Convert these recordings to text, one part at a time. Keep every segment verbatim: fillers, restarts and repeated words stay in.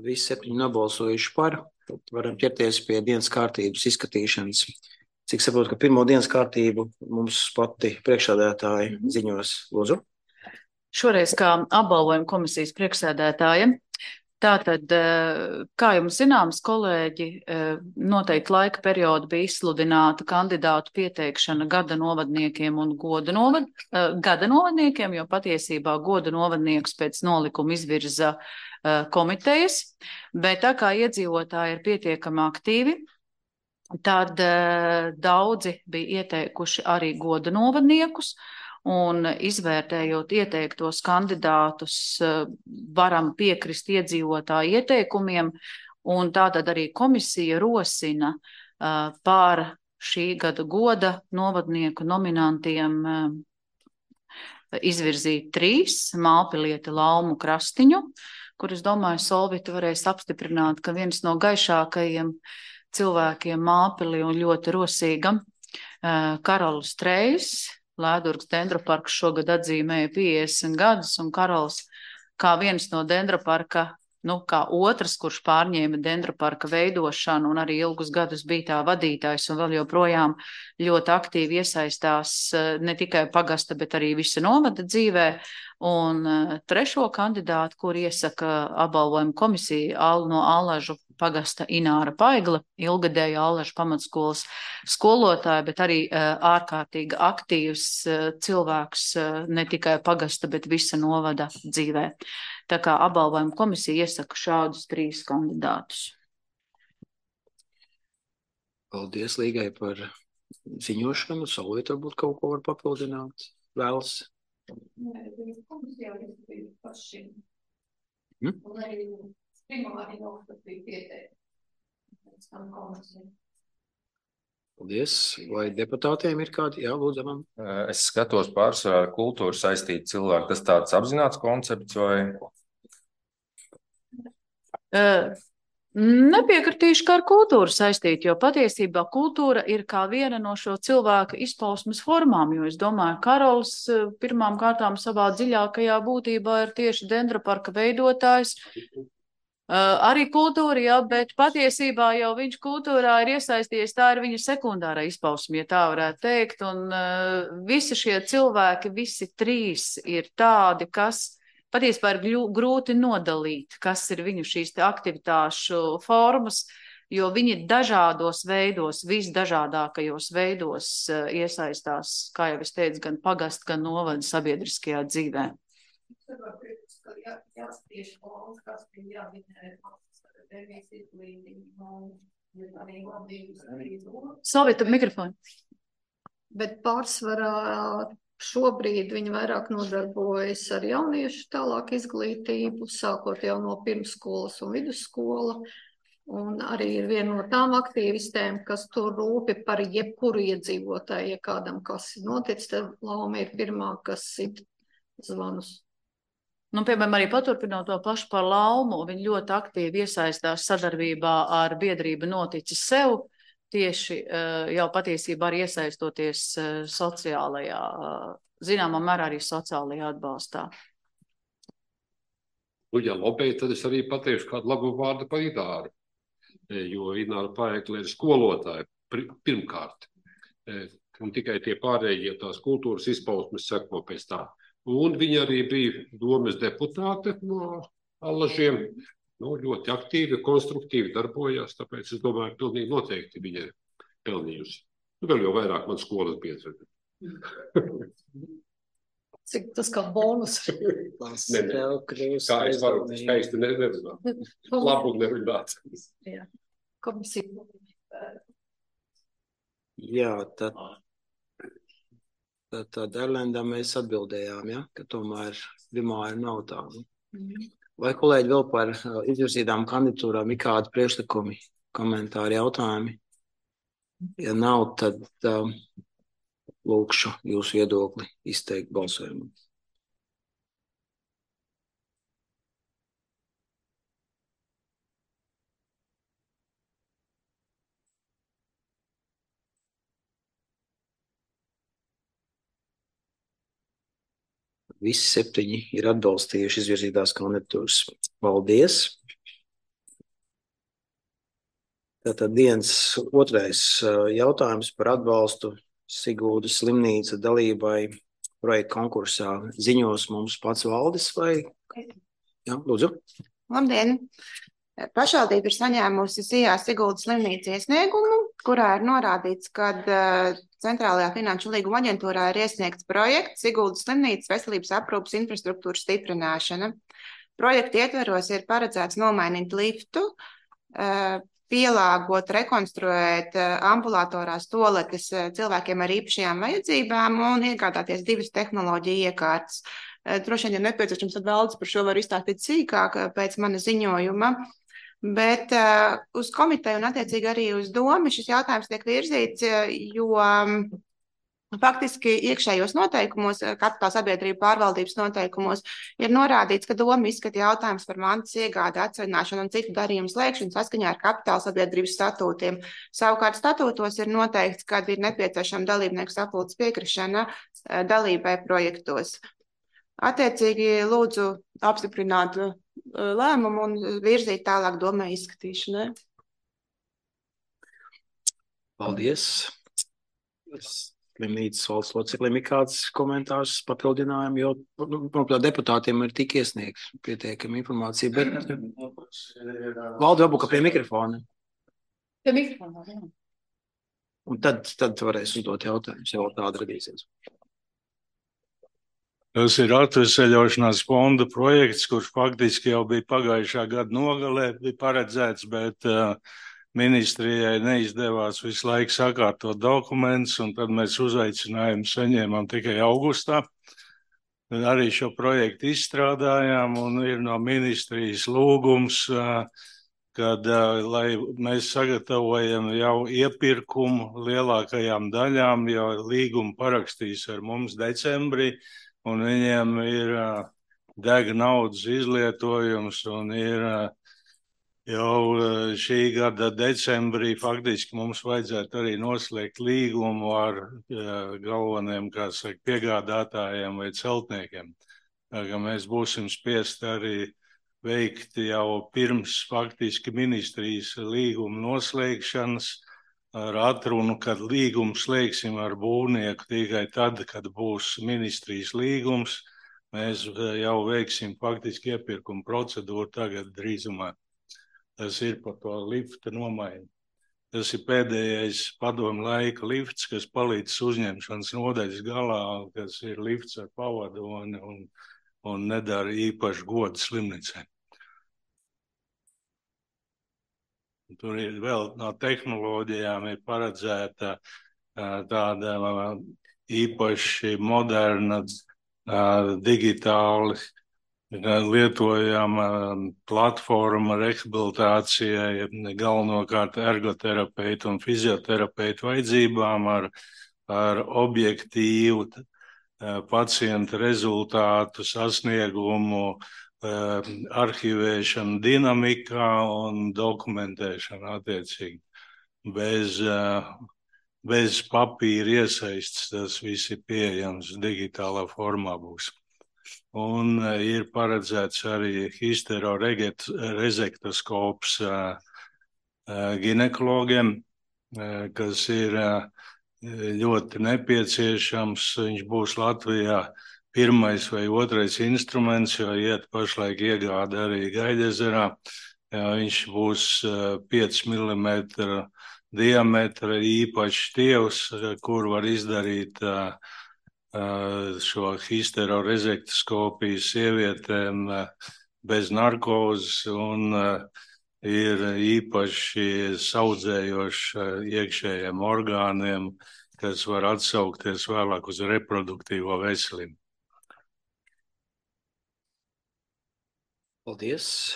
Visi septiņi nobalsojuši par. Tad varam ķerties pie dienas kārtības izskatīšanas. Cik saprotu, ka pirmo dienas kārtību mums pati priekšsēdētāja mm-hmm. ziņos. Lūdzu. Šoreiz kā apbalvojuma komisijas priekšsēdētāja. Tātad, kā jums zināms, kolēģi, noteikti laika periodu bija izsludināta kandidātu pieteikšana gada novadniekiem un goda, novad, gada novadniekiem, jo patiesībā goda novadniekus pēc nolikuma izvirza komitejas, bet tā kā iedzīvotāji ir pietiekami aktīvi, tad daudzi bija ieteikuši arī goda novadniekus. Un izvērtējot ieteiktos kandidātus, varam piekrist iedzīvotāju ieteikumiem, un tātad arī komisija rosina pār šī gada goda novadnieku nominantiem izvirzīt trīs - Mālpilieti, Laumu, Krastiņu, kur es domāju, Solvita varēs apstiprināt, ka viens no gaišākajiem cilvēkiem Mālpilī un ļoti rosīga Karols Trejs. Lēdurgas dendroparks šogad atzīmēja piecdesmit gadus, un Karols kā viens no dendroparka, nu, kā otrs, kurš pārņēma dendroparka veidošanu un arī ilgus gadus bija tā vadītājs un vēl joprojām ļoti aktīvi iesaistās ne tikai pagasta, bet arī visa novada dzīvē. Un trešo kandidātu, kur iesaka apbalvojuma komisija no Allažu pagasta Ināra Paigla, ilgadēja Allažu pamatskolas skolotāja, bet arī ārkārtīgi aktīvs cilvēks ne tikai pagasta, bet visa novada dzīvē. Tā kā apbalvojuma komisija iesaka šādus trīs kandidātus. Paldies Līgai par ziņošanu. Solvita varbūt kaut ko var papildināt. Vēlas. Nē, viņas komisijā izskatīja paši. Hmm? Un arī primāri noskatīja pieteikti. Pēc tam komisija. Paldies. Vai deputātiem ir kādi? Jā, lūdzu, man. Es skatos pārsvarā ar kultūru saistīti cilvēki. Tas tāds apzināts koncepts vai? Uh. Nepiekritīšu, ka ar kultūru saistīt, jo patiesībā kultūra ir kā viena no šo cilvēku izpausmes formām, jo es domāju, Karols pirmām kārtām savā dziļākajā būtībā ir tieši dendroparka veidotājs. Uh, arī kultūra, jā, bet patiesībā jau viņš kultūrā ir iesaistījies, tā ir viņa sekundārā izpausme, ja tā varētu teikt, un uh, visi šie cilvēki, visi trīs ir tādi, kas patiesībā ir grūti nodalīt, kas ir viņu šīs te aktivitāšu formas, jo viņi dažādos veidos, visdažādākajos veidos iesaistās, kā jau es teicu, gan pagast, gan novada sabiedriskajā dzīvē. Solvita, mikrofonu. Bet pārsvarā šobrīd viņi vairāk nodarbojas ar jauniešu tālāk izglītību, sākot jau no pirmsskolas un vidusskola. Un arī ir viena no tām aktīvistēm, kas tur rūpi par jebkuru iedzīvotāju, ja kādam kas ir noticis, tad Lauma ir pirmā, kas sit zvanus. Nu, piemēram, arī paturpinot to pašu par Laumu, viņi ļoti aktīvi iesaistās sadarbībā ar biedrību Noticis sev, tieši jau patiesībā arī iesaistoties sociālajā, zināmā mērā arī sociālajā atbalstā. Nu, ja lobēji, tad es arī pateikšu kādu labu vārdu par Ināru, jo Ināra Paegla ir skolotāja pirmkārt. Un tikai tie pārējie tās kultūras izpausmes seko pēc tā. Un viņa arī bija domes deputāte no Allažiem. Nu, ļoti aktīvi, konstruktīvi darbojās, tāpēc es domāju, pilnīgi noteikti viņa ir pelnījusi. Nu, vēl jau vairāk man skolas biedri. Cik tas kā bonus? Ne, ne. Kā es varu skaisti nerunāt. Labu nerunāt. Jā, komisija. Jā, tad, tad, tad Erlendam mēs atbildējām, ja, ka tomēr primāri nav tādu. Mm. Vai kolēģi vēl par izvirzītām kandidatūrām ir kādi priekšlikumi, komentāri, jautājumi? Ja nav, tad um, lūkšu jūsu viedokli izteikt balsojumu. Visi septiņi ir atbalstījuši izvirzītās kandidatūras. Paldies! Tātad dienas otrais jautājums par atbalstu Siguldas slimnīca dalībai projekta konkursā. Ziņos mums pats Valdis vai? Jā, lūdzu. Labdien! Pašvaldība ir saņēmusi Sijā Siguldas slimnīca iesniegumu, kurā ir norādīts, ka Centrālajā finanšu līguma aģentūrā ir iesniegts projekts Siguldas slimnīcas veselības aprūpas infrastruktūras stiprināšana. Projekta ietveros ir paredzēts nomainīt liftu, pielāgot, rekonstruēt ambulatorās toaletes cilvēkiem ar īpašajām vajadzībām un iegādāties divas tehnoloģiju iekārtas. Droši vien, ja nepieciešams, tad Valdis par šo var izstāstīt sīkāk pēc mana ziņojuma. Bet uh, uz komiteju un attiecīgi arī uz domu šis jautājums tiek virzīts, jo um, faktiski iekšējos noteikumos, kapitāla sabiedrību pārvaldības noteikumos ir norādīts, ka doma izskata jautājums par mantas iegādi, atsevināšanu un citu darījumu slēgšanu saskaņā ar kapitāla sabiedrības statūtiem. Savukārt statūtos ir noteikts, ka ir nepieciešama dalībnieku sapulces piekrišana dalībai projektos. Attiecīgi lūdzu apstiprināt lēmumu un virzīt tālāk domai izskatīšanai. Paldies. Slimnīcas valsts loceklim ir kāds komentārs papildinājumi, jo manuprāt, deputātiem ir tik iesniegts pietiekama informācija, bet Valdi varbūt pie mikrofona. Pie mikrofona, jā. Un tad, tad varēs uzdot jautājumus, ja vēl tāda radīsies. Tas ir atveseļošanās fonda projekts, kurš faktiski jau bija pagājušā gada nogalē, bija paredzēts, bet uh, ministrijai neizdevās visu laiku sakārtot dokumentus, un tad mēs uzaicinājumu saņēmām tikai augustā. Arī šo projektu izstrādājām, un ir no ministrijas lūgums, uh, kad, uh, lai mēs sagatavojam jau iepirkumu lielākajām daļām, jo līgumu parakstīs ar mums decembrī, un viņiem ir uh, dega naudas izlietojums, un ir uh, jau uh, šī gada decembrī faktiski mums vajadzētu arī noslēgt līgumu ar uh, galveniem, kā saka, piegādātājiem vai celtniekiem. Tā kā mēs būsim spiest arī veikt jau pirms faktiski ministrijas līguma noslēgšanas, ar atrunu, kad līgumu slēgsim ar būvnieku tikai tad, kad būs ministrijas līgums. Mēs jau veiksim faktiski iepirkumu procedūru tagad drīzumā. Tas ir par to lifta nomaiņu. Tas ir pēdējais padomu laika lifts, kas palīdz uzņemšanas nodaļas galā, kas ir lifts ar pavadu un, un, un nedara īpaši godu slimnīcai. Tur ir vēl no tehnoloģijām ir paredzēta tāda īpaši moderna, digitāli lietojama platforma rehabilitācijai, galvenokārt ergoterapeitu un fizioterapeitu vajadzībām ar, ar objektīvu pacienta rezultātu sasniegumu, arhivēšana dinamikā un dokumentēšana attiecīgi. Bez, bez papīra iesaistes tas viss ir pieejams digitālā formā būs. Un ir paredzēts arī histerorezektoskops ginekologiem, kas ir ļoti nepieciešams. Viņš būs Latvijā pirmais vai otrais instruments, jo iet pašlaik iegāda arī Gaļezerā. Viņš būs pieci milimetri diametra īpašs tievs, kur var izdarīt šo histerorezektoskopiju sievietēm bez narkozes un ir īpaši saudzējoši iekšējiem orgāniem, kas var atsaukties vēlāk uz reproduktīvo veselību. Paldies.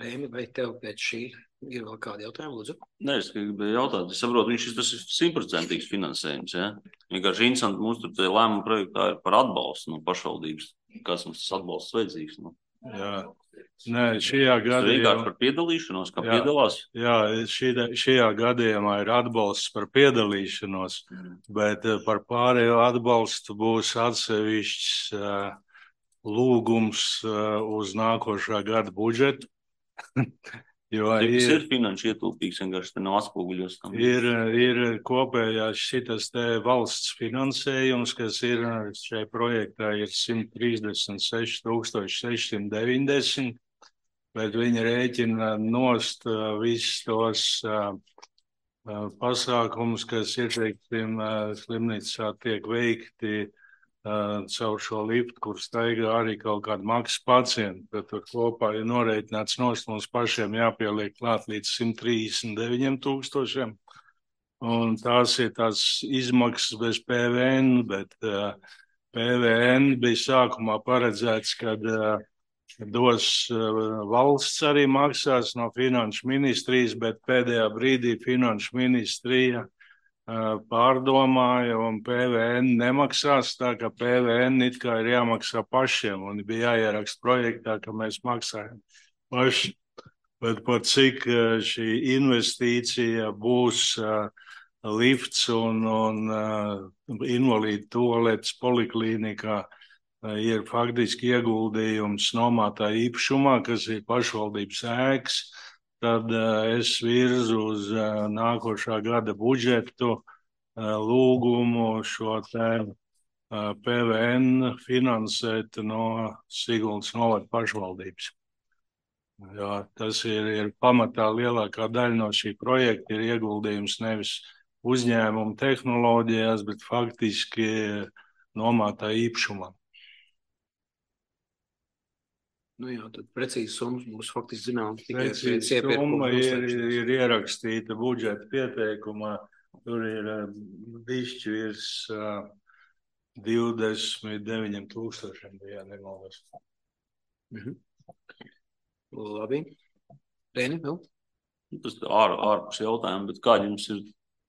Rēmi, vai tev pēc šī ir vēl kādi jautājumi, lūdzu? Nē, es gribēju jautāt, es saprotu, viņš tas ir simtprocentīgs finansējums, ja? Vienkārši interesanti, mums tur lēmuma projektā ir par atbalstu no pašvaldības. Kāds mums tas atbalsts vajadzīgs? No? Jā, nē, šajā gadījumā... Vienkārši par piedalīšanos, kā jā, piedalās? Jā, šī, šajā gadījumā ir atbalsts par piedalīšanos, mm. bet par pārējo atbalstu būs atsevišķs uh, lūgums uh, uz nākošā gada budžetu, Jo Tas ir, ir finanšu ietilpīgs, vienkārši te nav atspoguļos tam. ir, ir kopējās šitas te valsts finansējums, kas ir šai projektā ir simt trīsdesmit seši tūkstoši sešsimt deviņdesmit, bet viņi rēķina nost uh, visus tos uh, uh, pasākumus, kas ir, teiksim, uh, slimnīcā tiek veikti Uh, caur šo liftu, kur staigā arī kaut kādu maksas pacientu, tad tur kopā ir norēķināts nost, mums pašiem jāpieliek klāt līdz simt trīsdesmit deviņiem tūkstošiem. Un tās ir tās izmaksas bez P V N, bet uh, P V N bija sākumā paredzēts, kad uh, dos uh, valsts arī maksās no finanšu ministrijas, bet pēdējā brīdī finanšu ministrija pārdomāja un P V N nemaksās, tā ka P V N it kā ir jāmaksā pašiem un bija jāieraksta projektā, ka mēs maksājam paši. Bet par cik šī investīcija būs uh, lifts un, un uh, invalīdu tualetes poliklīnikā, uh, ir faktiski ieguldījums nomātā īpašumā, kas ir pašvaldības ēkas. Tad uh, es virzu uz uh, nākošā gada budžetu uh, lūgumu šo te uh, P V N finansēt no Siguldas novada pašvaldības. Jā, tas ir, ir pamatā lielākā daļa no šī projekta ir ieguldījums nevis uzņēmumu tehnoloģijās, bet faktiski nomātā īpašumā. Nu jā, tad precīzi summas būs faktiski zināms tikai pēc Precīzi iepirkuma summa ir, noslēgšanas. ir ierakstīta budžeta pieteikumā. Tur ir bišķi virs uh, divdesmit deviņiem tūkstošiem, ja nemaldos. Mhm. Labi. Rēni, vēl? Tas ār, ārpus jautājumu, bet kādi jums ir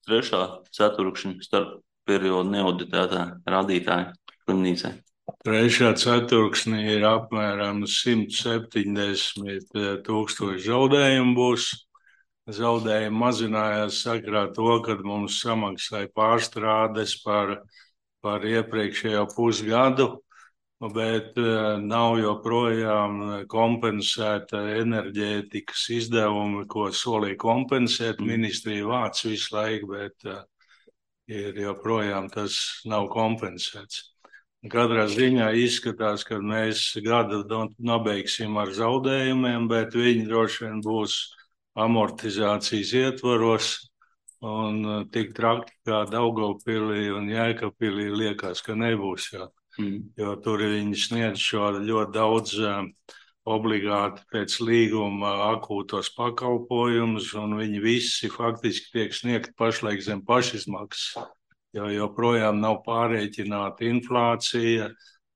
trešā ceturkšņa starp periodu neauditētā rādītāja slimnīcai? Trešā ceturksnī ir apmēram simt septiņdesmit tūkstoši zaudējumu būs. Zaudējumi mazinājās sakrā to, kad mums samaksāja pārstrādes par, par iepriekšējo pusgadu, bet nav joprojām kompensēta enerģētikas izdevumi, ko solīja kompensēt. Ministrija vāc visu laiku, bet ir joprojām tas nav kompensēts. Katrā ziņā izskatās, ka mēs gadu nobeigsim ar zaudējumiem, bet viņi droši vien būs amortizācijas ietvaros un tik traki kā Daugavpilī un Jēkabpilī liekas, ka nebūs, jo, mm. jo tur viņi sniedz šo ļoti daudz obligāti pēc līguma akūtos pakalpojumus un viņi visi faktiski tiek sniegt pašlaik zem pašizmaksas. Jo joprojām nav pārēķināta inflācija,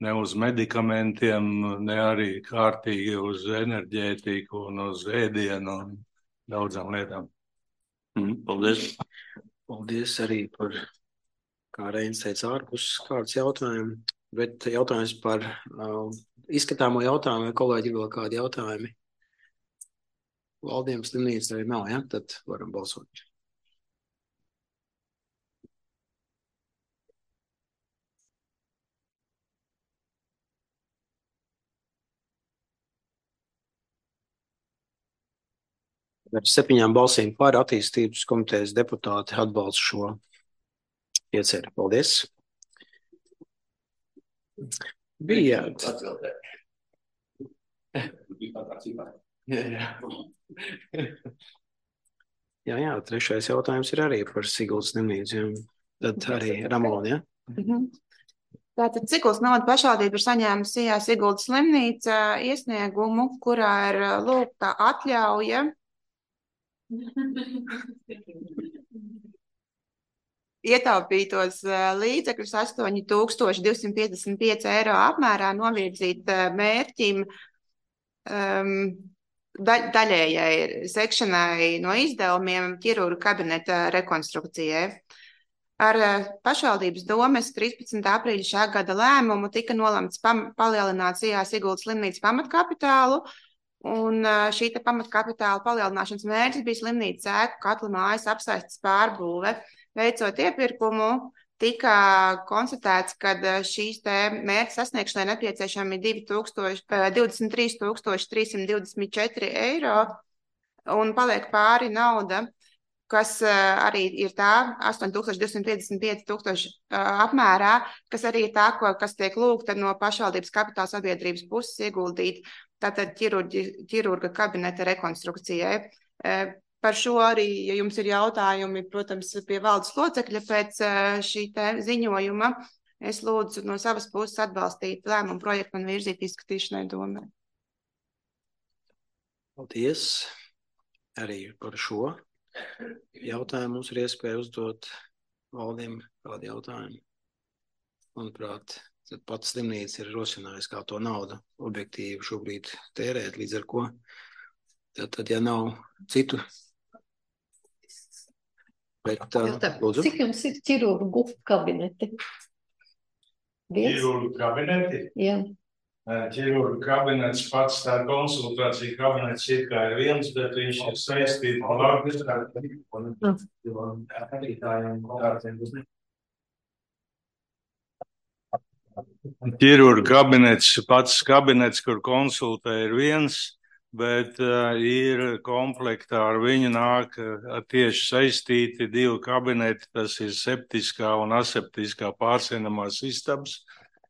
ne uz medikamentiem, ne arī kārtīgi uz enerģētiku un uz ēdienu un daudzām lietām. Mm, paldies. Paldies arī par, kā Reinis teica, ārpus kāds jautājumu, bet jautājums par uh, izskatāmo jautājumu, vai kolēģi vēl kādi jautājumi? Valdījums slimnīca arī nav, ja? Tad varam balsot. Ar septiņām balsīm par attīstības komitejas deputāti atbalsta šo ieceri. Paldies. Bijāt. Jā, jā. jā, jā, trešais jautājums ir arī par Siguldas slimnīcu. Tad arī Ramona, ja? Mhm. Tātad Siguldas novada pašvaldība ir saņēmusi Siguldas slimnīca iesniegumu, kurā ir lūgta atļauja ietaupītos līdzekļus astoņi tūkstoši divsimt piecdesmit pieci eiro apmērā novirzīt mērķim um, da, daļējai sekšanai no izdevumiem ķirurga kabineta rekonstrukcijai. Ar pašvaldības domes trīspadsmitā aprīļa šā gada lēmumu tika nolemts pam, palielināt C I A Siguldas slimnīcas pamatkapitālu, un šī te pamatkapitāla palielināšanas mērķis bija slimnīcas ēku katla mājas apsaistes pārbūve. Veicot iepirkumu, tika konstatēts, ka šīs te mērķa sasniegšanai nepieciešami divdesmit trīs tūkstoši trīs simt divdesmit četri eiro. un paliek pāri nauda, kas arī ir tā astoņi tūkstoši divsimt piecdesmit pieci tūkstoši apmērā, kas arī ir tā, ko, kas tiek lūgta no pašvaldības kapitāla sabiedrības puses ieguldīt, tātad ķirurģi, ķirurga kabineta rekonstrukcijai. Par šo arī, ja jums ir jautājumi, protams, pie valdes locekļa pēc šī te ziņojuma, es lūdzu no savas puses atbalstīt lēmumu projektu un virzīt izskatīšanai domē. Paldies arī par šo jautājumu. Mums ir iespēja uzdot valdiem kādu jautājumu. Manuprāt, tad pats slimnīca ir rosinājis, kā to naudu objektīvi šobrīd tērēt, līdz ar ko. Tad, tad ja nav citu. Bet, Jautā, cik jums ir ķirurgu kabineti? Viens? Ķirurgu kabineti? Jā. Ķirurgu kabinets pats, tā konsultācija kabinets ir kā ir viens, bet viņš ir saistīts ar Latvijas. Ķirurgu kabinets, pats kabinets, kur konsultē, ir viens, bet uh, ir komplektā ar viņu nāk uh, tieši saistīti divi kabineti, tas ir septiskā un aseptiskā pārsienamās istabas,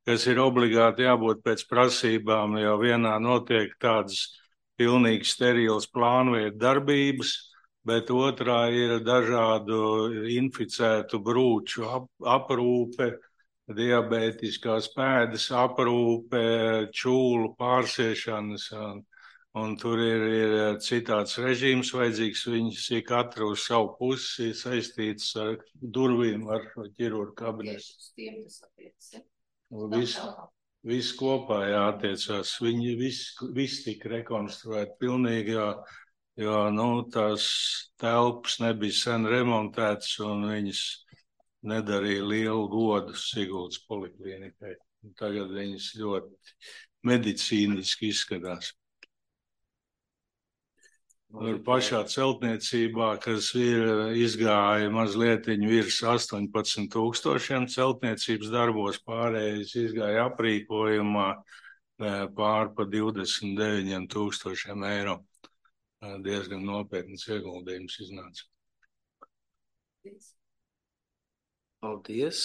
kas ir obligāti jābūt pēc prasībām, jo vienā notiek tādas pilnīgi sterilas plānveidu darbības, bet otrā ir dažādu inficētu brūču ap, aprūpe, diabētiskās pēdas aprūpe, čūlu pārsiešanas, un, un tur ir, ir citāds režīms vajadzīgs, viņas ir katra uz savu pusi saistīts ar durvīm, ar ķirurgu kabinetu. Viss vis kopā jātiecās. Viņi viss vis tika rekonstruēti pilnīgi, jo, jo nu, tās telpas nebija sen remontētas un viņas nedarīja lielu godu Siguldas poliklīnikai. Tagad viņas ļoti medicīniski izskatās. Tur pašā celtniecībā, kas ir izgāja mazlietiņu virs astoņpadsmit tūkstošiem celtniecības darbos, pārējais izgāja aprīkojumā pār pa divdesmit deviņiem tūkstošiem eiro. Diezgan nopietnas ieguldījums iznāca. Paldies.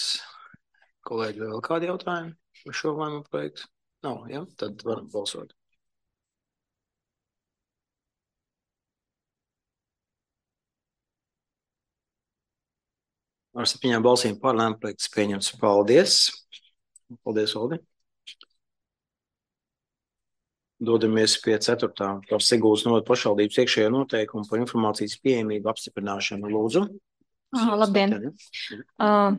Kolēģi, vēl kādi jautājumi par šo lēmumu projektu? Nav, ja? Tad varam balsot. Ar septiņām balsīm par lēmumu projekts pieņemts. Paldies. Paldies, Oldi. Dodamies pie ceturtā par Siguldas novada pašvaldības iekšējo noteikumu par informācijas pieejamību apstiprināšanu. Lūdzu. Ah, labdien. Uh,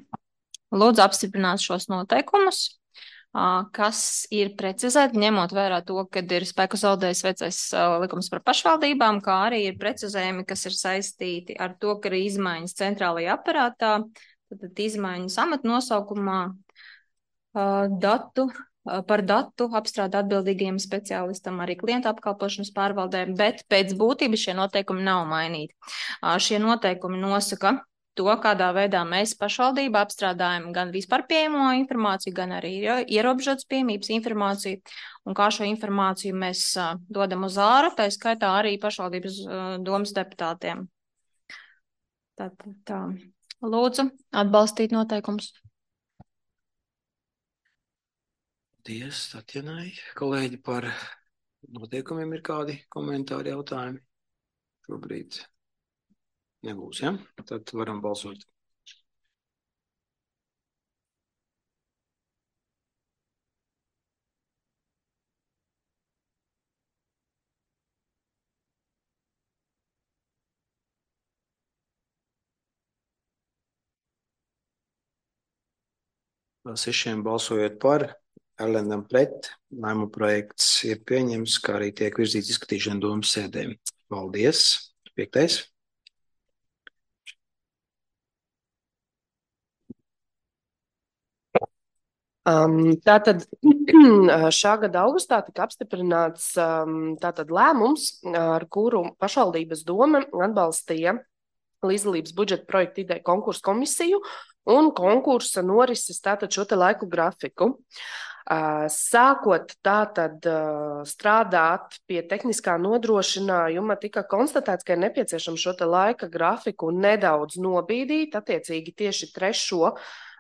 lūdzu apstiprināt šos noteikumus, uh, kas ir precizēti, ņemot vērā to, kad ir spēku zaudējis vecais uh, likums par pašvaldībām, kā arī ir precizējumi, kas ir saistīti ar to, ka ir izmaiņas centrālajā aparātā, tad izmaiņas amatnosaukumā, uh, datu, uh, par datu apstrādi atbildīgajiem speciālistam, arī klienta apkalpošanas pārvaldēm, bet pēc būtības šie noteikumi nav mainīti. Uh, šie noteikumi nosaka to, kādā veidā mēs pašvaldībā apstrādājam gan vispār pieejamo informāciju, gan arī ierobežotas pieejamības informāciju, un kā šo informāciju mēs uh, dodam uz āru, tā skaitā arī pašvaldības uh, domas deputātiem. Tātad tā. Lūdzu, atbalstīt noteikumus. Paldies, Tatjanai. Kolēģi, par noteikumiem ir kādi komentāri, jautājumi? Šobrīd nebūs, ja? Tad varam balsot. Sešiem balsojot par, Erlendam pret, lēmuma projekts ir pieņems, kā arī tiek virzīts izskatīšana domas sēdēm. Paldies. Piektais. Um, tātad šā gada augustā tika apstiprināts um, tātad lēmums, ar kuru pašvaldības doma atbalstīja līdzdalības budžeta projekta ideju konkursu komisiju un konkursa norises tātad šo te laiku grafiku. Sākot tātad strādāt pie tehniskā nodrošinājuma, tika konstatēts, ka ir nepieciešams šo te laika grafiku nedaudz nobīdīt, attiecīgi tieši trešo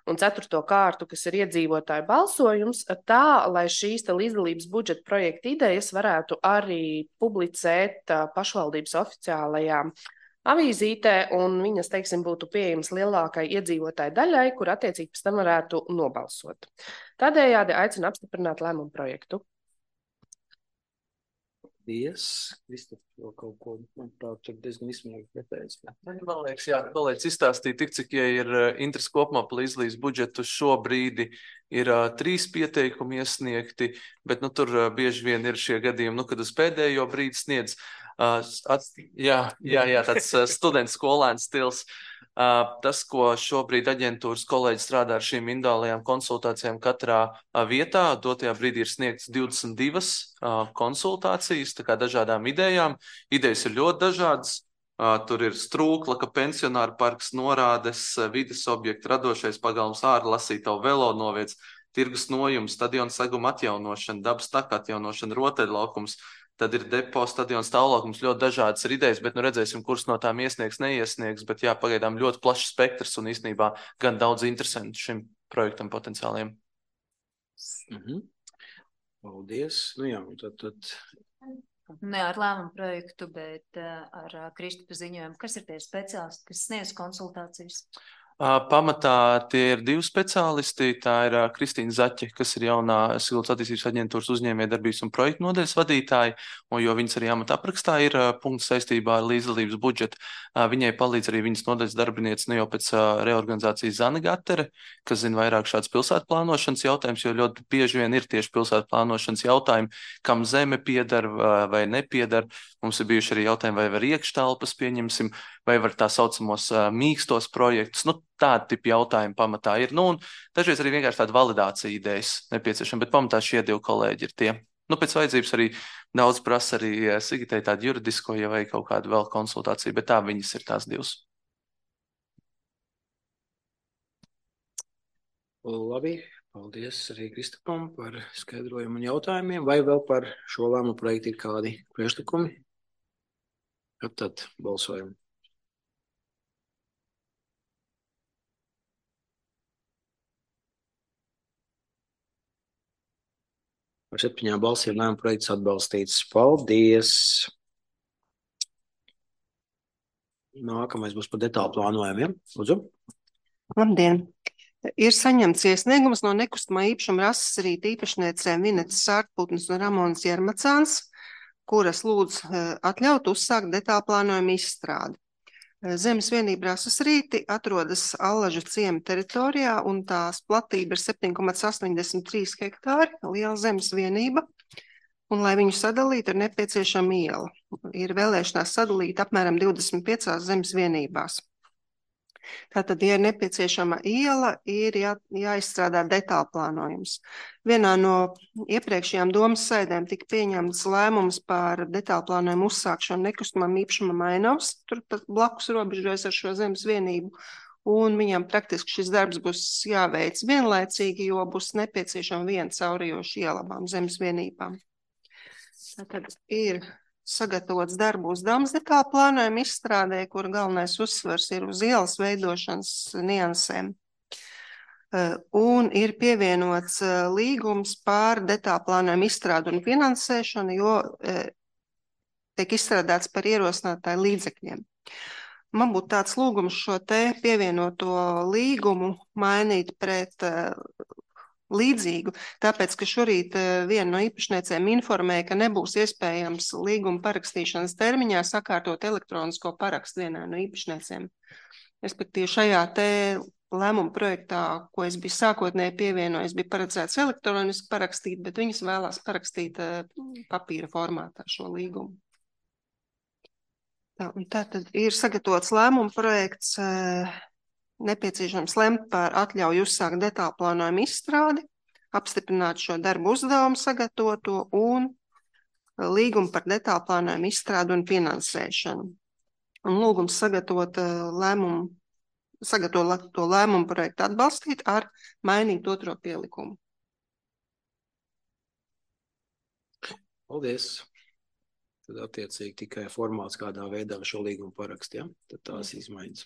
un ceturto kārtu, kas ir iedzīvotāju balsojums, tā, lai šīs te līdzdalības budžeta projekta idejas varētu arī publicēt pašvaldības oficiālajā avīzītē, un viņas, teiksim, būtu pieejamas lielākai iedzīvotāju daļai, kur attiecīgi pēc tam varētu nobalsot. Tādējādi aicinu apstiprināt lēmumu projektu. Paldies. Kristof, vēl kaut ko, manuprāt, tur diezgan izsmīgi pretējis. Man liekas, jā, kolēģis izstāstīja tik, cik, ja ir interesi kopumā par līdzdalības budžetu šobrīd ir uh, trīs pieteikumi iesniegti, bet nu, tur uh, bieži vien ir šie gadījumi, nu, kad uz pēdējo brīdi sniedz. Uh, at, jā, jā, jā, tāds uh, students skolēns stils. Uh, tas, ko šobrīd aģentūras kolēģi strādā ar šīm individuālajām konsultācijām katrā uh, vietā, dotajā brīdī ir sniegts divdesmit divas uh, konsultācijas, tā kā dažādām idejām. Idejas ir ļoti dažādas. Uh, tur ir strūklaka, pensionāru parks, norādes, uh, vides objekti, radošais pagalms, ārlasītavu velo noviets, tirgus nojums, stadiona seguma atjaunošana, dabas taka atjaunošana, rotaļlaukums. Tad ir depo, stadions, stāvlaukums, ļoti dažādas ir idejas, bet nu redzēsim, kuras no tām iesniegs, neiesniegs, bet jā, pagaidām ļoti plašs spektrs un īstenībā gan daudz interesantu šim projektam potenciāliem. Mhm. Paldies. Nu jā, tad, tad... Ne ar lēmumu projektu, bet ar Kristofa ziņojumu. Kas ir tie speciālisti, kas sniedz konsultācijas? Pamatā tie ir divi speciālisti. Tā ir Kristīna Zaķe, kas ir jaunā Siltas attīstības aģentūras uzņēmējdarbības un projektu nodaļas vadītāja, un jo viņas arī amata aprakstā ir punkts saistībā ar līdzdalības budžetu. Viņai palīdz arī viņas nodaļas darbiniece ne jau pēc reorganizācijas Zana Gatere, kas zina vairāk šāds pilsētu plānošanas jautājums, jo ļoti bieži vien ir tieši pilsētu plānošanas jautājumi, kam zeme piedar vai nepiedar. Mums ir bijuši arī jautājumi, vai var iekštelpas pieņemsim, vai var tā saucamos uh, mīkstos projektus. Nu, tādi tipi jautājumi pamatā ir. Nu, un dažreiz arī vienkārši tāda validācija idejas nepieciešama, bet pamatā šie divi kolēģi ir tie. Nu, pēc vajadzības arī daudz prasa arī Sigitai tādu juridisko, ja vai kaut kādu vēl konsultāciju, bet tā viņas ir tās divas. Labi, paldies arī Kristofam par skaidrojumu un jautājumiem. Vai vēl par šo lēmumu projektu ir kādi priekšlikumi? Kad tad balsojam? Ar septiņām balsīm lēmuma projekts atbalstīts. Paldies! Nākamais būs par detālu plānojumiem. Lūdzu. Labdien! Ir saņemts iesniegums no nekustamā īpašuma rases rīta īpašniecēm Vinetas Sārtputnes un Ramonas Jermacāns, kuras lūdz atļaut uzsākt detālu plānojumu izstrādi. Zemes vienība rases rīti atrodas Allažu ciema teritorijā, un tās platība ir septiņi komats astoņdesmit trīs hektāri, liela zemes vienība, un, lai viņu sadalītu, ir nepieciešama iela. Ir vēlēšanās sadalīt apmēram divdesmit piecās zemes vienībās. Tātad, ja ir nepieciešama iela, ir jā, jāizstrādā detālu plānojums. Vienā no iepriekšējām domas sēdēm tika pieņemts lēmums par detālu plānojumu uzsākšanu nekustamam īpašumam Ainavs, tur blakus robežojas ar šo zemes vienību, un viņam praktiski šis darbs būs jāveic vienlaicīgi, jo būs nepieciešama viena caurījoša iela abām zemes vienībām. Tātad ir sagatavots darbu uzdevums detālu plānojumu izstrādē, kur galvenais uzsvars ir uz ielas veidošanas niansēm. Un ir pievienots līgums par detālu plānojumu izstrādu un finansēšanu, jo tiek izstrādāts par ierosinātāju līdzekļiem. Man būtu tāds lūgums šo te pievienoto līgumu mainīt pret līdzīgu, tāpēc, ka šorīt viena no īpašniecēm informēja, ka nebūs iespējams līguma parakstīšanas termiņā sakārtot elektronisko parakstu vienai no īpašniecēm. Respektīvi šajā te lēmuma projektā, ko es biju sākotnēji pievienojis, bija paredzēts elektroniski parakstīt, bet viņas vēlās parakstīt papīra formātā šo līgumu. Tā, un tā tad ir sagatavots lēmuma projekts, nepieciešams lemt par atļauju uzsākt detālu plānojumu izstrādi, apstiprināt šo darbu uzdevumu sagatavoto un līgumu par detālu plānojumu izstrādi un finansēšanu. Un lūgums sagatavot lēmumu sagatavot to lēmumu projektu atbalstīt ar mainīt otro pielikumu. Paldies. Tad attiecīgi tikai formāts kādā veidā šo līgumu parakst, ja? Tad tās izmaiņas.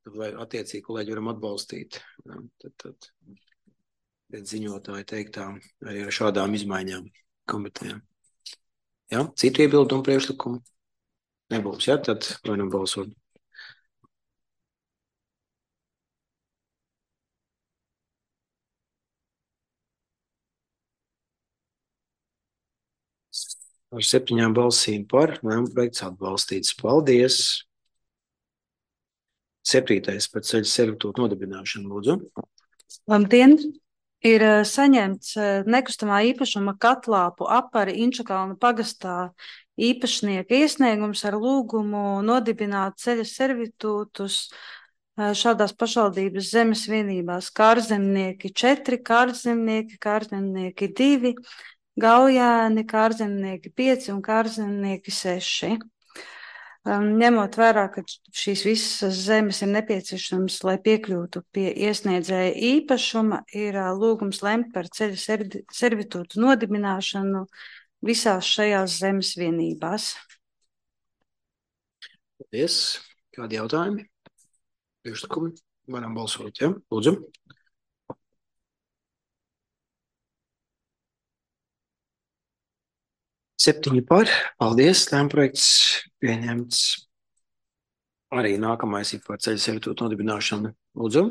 Tad vai attiecīgi kolēģi varam atbalstīt, ja? Tad, tad pēc ziņotāja teiktām arī ar šādām izmaiņām komitejām. Ja? Citu iebildumu priekšlikumu nebūs, ja? Tad varam balsot. Ar septiņām balsīm par, lēmumu projekts atbalstīts. Paldies! Septītais par ceļu servitūtu nodibināšanu, lūdzu. Labdien! Ir saņemts nekustamā īpašuma katlāpu apari Inčakalna pagastā īpašnieka iesniegums ar lūgumu nodibināt ceļa servitūtus šādās pašvaldības zemes vienībās: Kārzemnieki četri, Kārzemnieki, Kārzemnieki divi, Gaujāni, Kārzemnieki pieci un Kārzemnieki seši. Ņemot vērā, ka šīs visas zemes ir nepieciešams, lai piekļūtu pie iesniedzēja īpašuma, ir lūgums lemt par ceļa servitūtu nodibināšanu visās šajās zemes vienībās. Paldies. Kādi jautājumi? Priekšlikumi? Varam balsot, ja? Lūdzu. Septiņi par. Paldies. Lēmuma projekts pieņemts. Arī nākamais ir par ceļa servitūtu nodibināšanu. Lūdzu.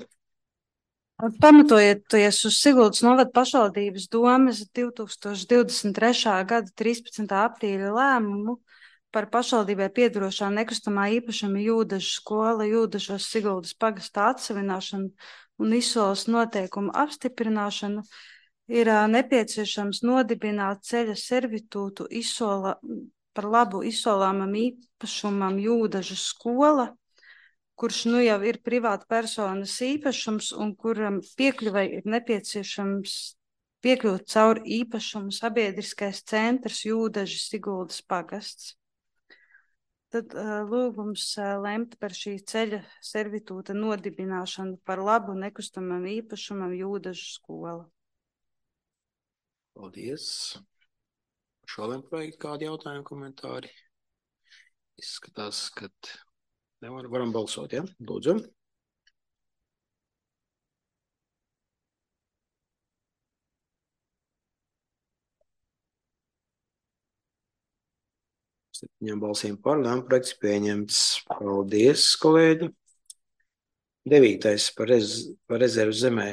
Pamatojoties uz Siguldas novada pašvaldības domes divi tūkstoši divdesmit trešā gada trīspadsmitā aprīļa lēmumu par pašvaldībai piederošā nekustamā īpašuma Jūdažu skola Jūdažos Siguldas pagastā atsavināšanu un izsoles noteikumu apstiprināšanu, ir nepieciešams nodibināt ceļa servitūtu izsola, par labu izsolāmam īpašumam Jūdažu skola, kurš nu jau ir privāta personas īpašums un kuram piekļuvai ir nepieciešams piekļūt caur īpašumu sabiedriskais centrs Jūdaži Siguldas pagasts. Tad uh, lūgums uh, lemt par šī ceļa servitūta nodibināšanu par labu nekustamam īpašumam Jūdažu skola. Paldies. Šodien projektu kādi jautājumi, komentāri? Izskatās, ka nevar, varam balsot, ja? Lūdzu. Septiņām balsīm par, lēmuma projekts pieņemts. Paldies, kolēģi. Devītais par, rez, par rezervu zemē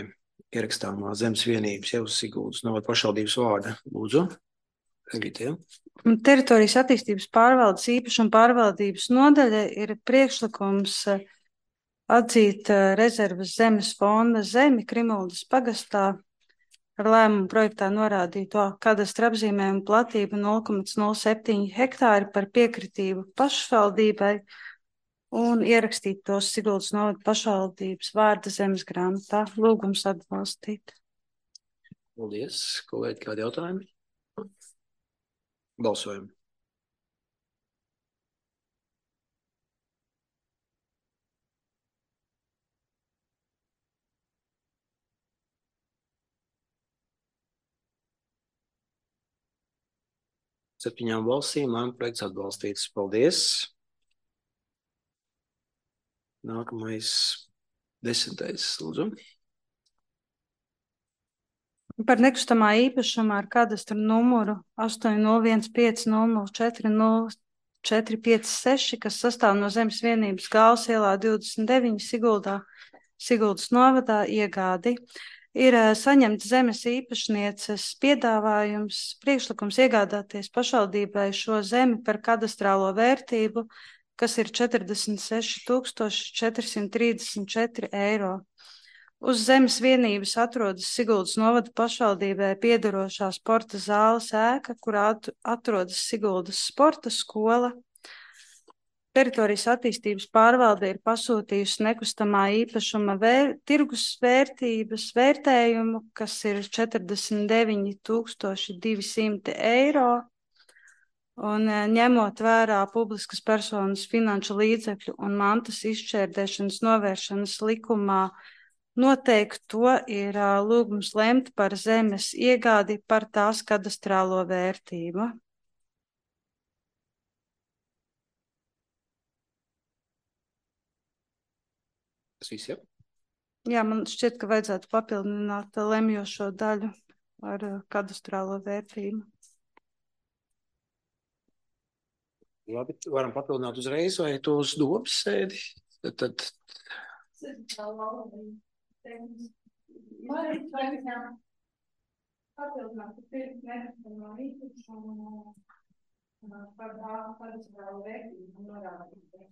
ierakstāmā zemes vienības jau Siguldas novada pašvaldības vārda. Lūdzu. Evītiem. Teritorijas attīstības pārvaldes īpašuma pārvaldības nodaļa ir priekšlikums atzīt rezervas zemes fonda zemi Krimuldas pagastā ar lēmumu projektā norādīto kadastra apzīmējumu platību nulle komats nulle septiņi hektāri par piekritību pašvaldībai un ierakstīt tos Siguldas novada pašvaldības vārda zemes grāmatā. Lūgums atbalstīt. Paldies. Kolēģi, kādi jautājumi? Balsojam. Septiņām balsīm lēmuma projekts atbalstīts. Paldies. Nākamais desmitais, lūdzu. Par nekustamā īpašumā ar kadastru numuru astoņi nulle viens pieci nulle nulle četri nulle četri pieci seši, kas sastāv no zemes vienības Gāles ielā divdesmit deviņi Siguldā, Siguldas novadā iegādi, ir saņemts zemes īpašnieces piedāvājums, priekšlikums iegādāties pašvaldībai šo zemi par kadastrālo vērtību, kas ir četrdesmit seši tūkstoši četri simti trīsdesmit četri eiro. Uz zemes vienības atrodas Siguldas novada pašvaldībai piederošā sporta zāles ēka, kurā atrodas Siguldas sporta skola. Teritorijas attīstības pārvalde ir pasūtījusi nekustamā īpašuma vēr, tirgus vērtības vērtējumu, kas ir četrdesmit deviņi tūkstoši divi simti eiro. Un ņemot vērā publiskas personas finanšu līdzekļu un mantas izšķērdēšanas novēršanas likumā noteikti to ir lūgums lemt par zemes iegādi par tās kadastrālo vērtību. Tas viss, jā? Jā, man šķiet, ka vajadzētu papildināt lemjošo daļu ar kadastrālo vērtību. Labi, varam papildināt uzreiz vai to uz dobas sēdi? Tad, tad... Papildināt pirms nekustamā īpašuma par kadastrālo vērtību norādīt.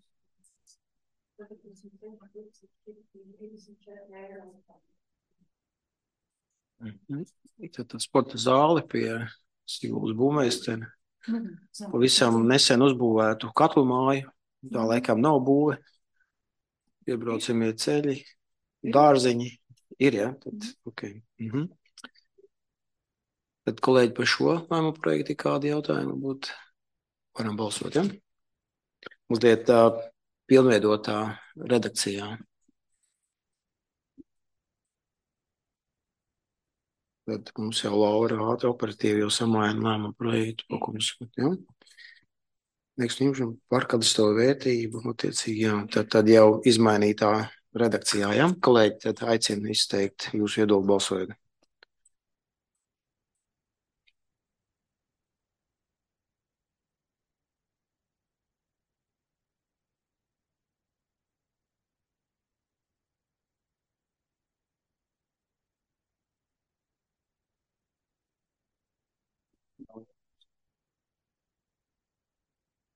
Mhm. Tad sporta zāli pie Siguldas būvmeistara. Pavisam nesen uzbūvētu katlu māju. Tā laikam nav būve. Iebraucamie ceļi, dārziņi. Ir, jā? Tad, okay. Mhm. Tad, kolēģi, par šo lēmumu projektu kādi jautājumi būtu? Varam balsot, jā? Mazliet tā pilnveidotā redakcijā. Tad mums jau Laura ātri operatīvi jau samaina lēmumu projektu, pa ko mums skat, jā? Nekustamību par kadastrālo vērtību, attiecīgi, jā. Tad, tad jau izmainītā redakcijā, jā? Kolēģi, tad aicinu izteikt jūsu viedokli balsojot.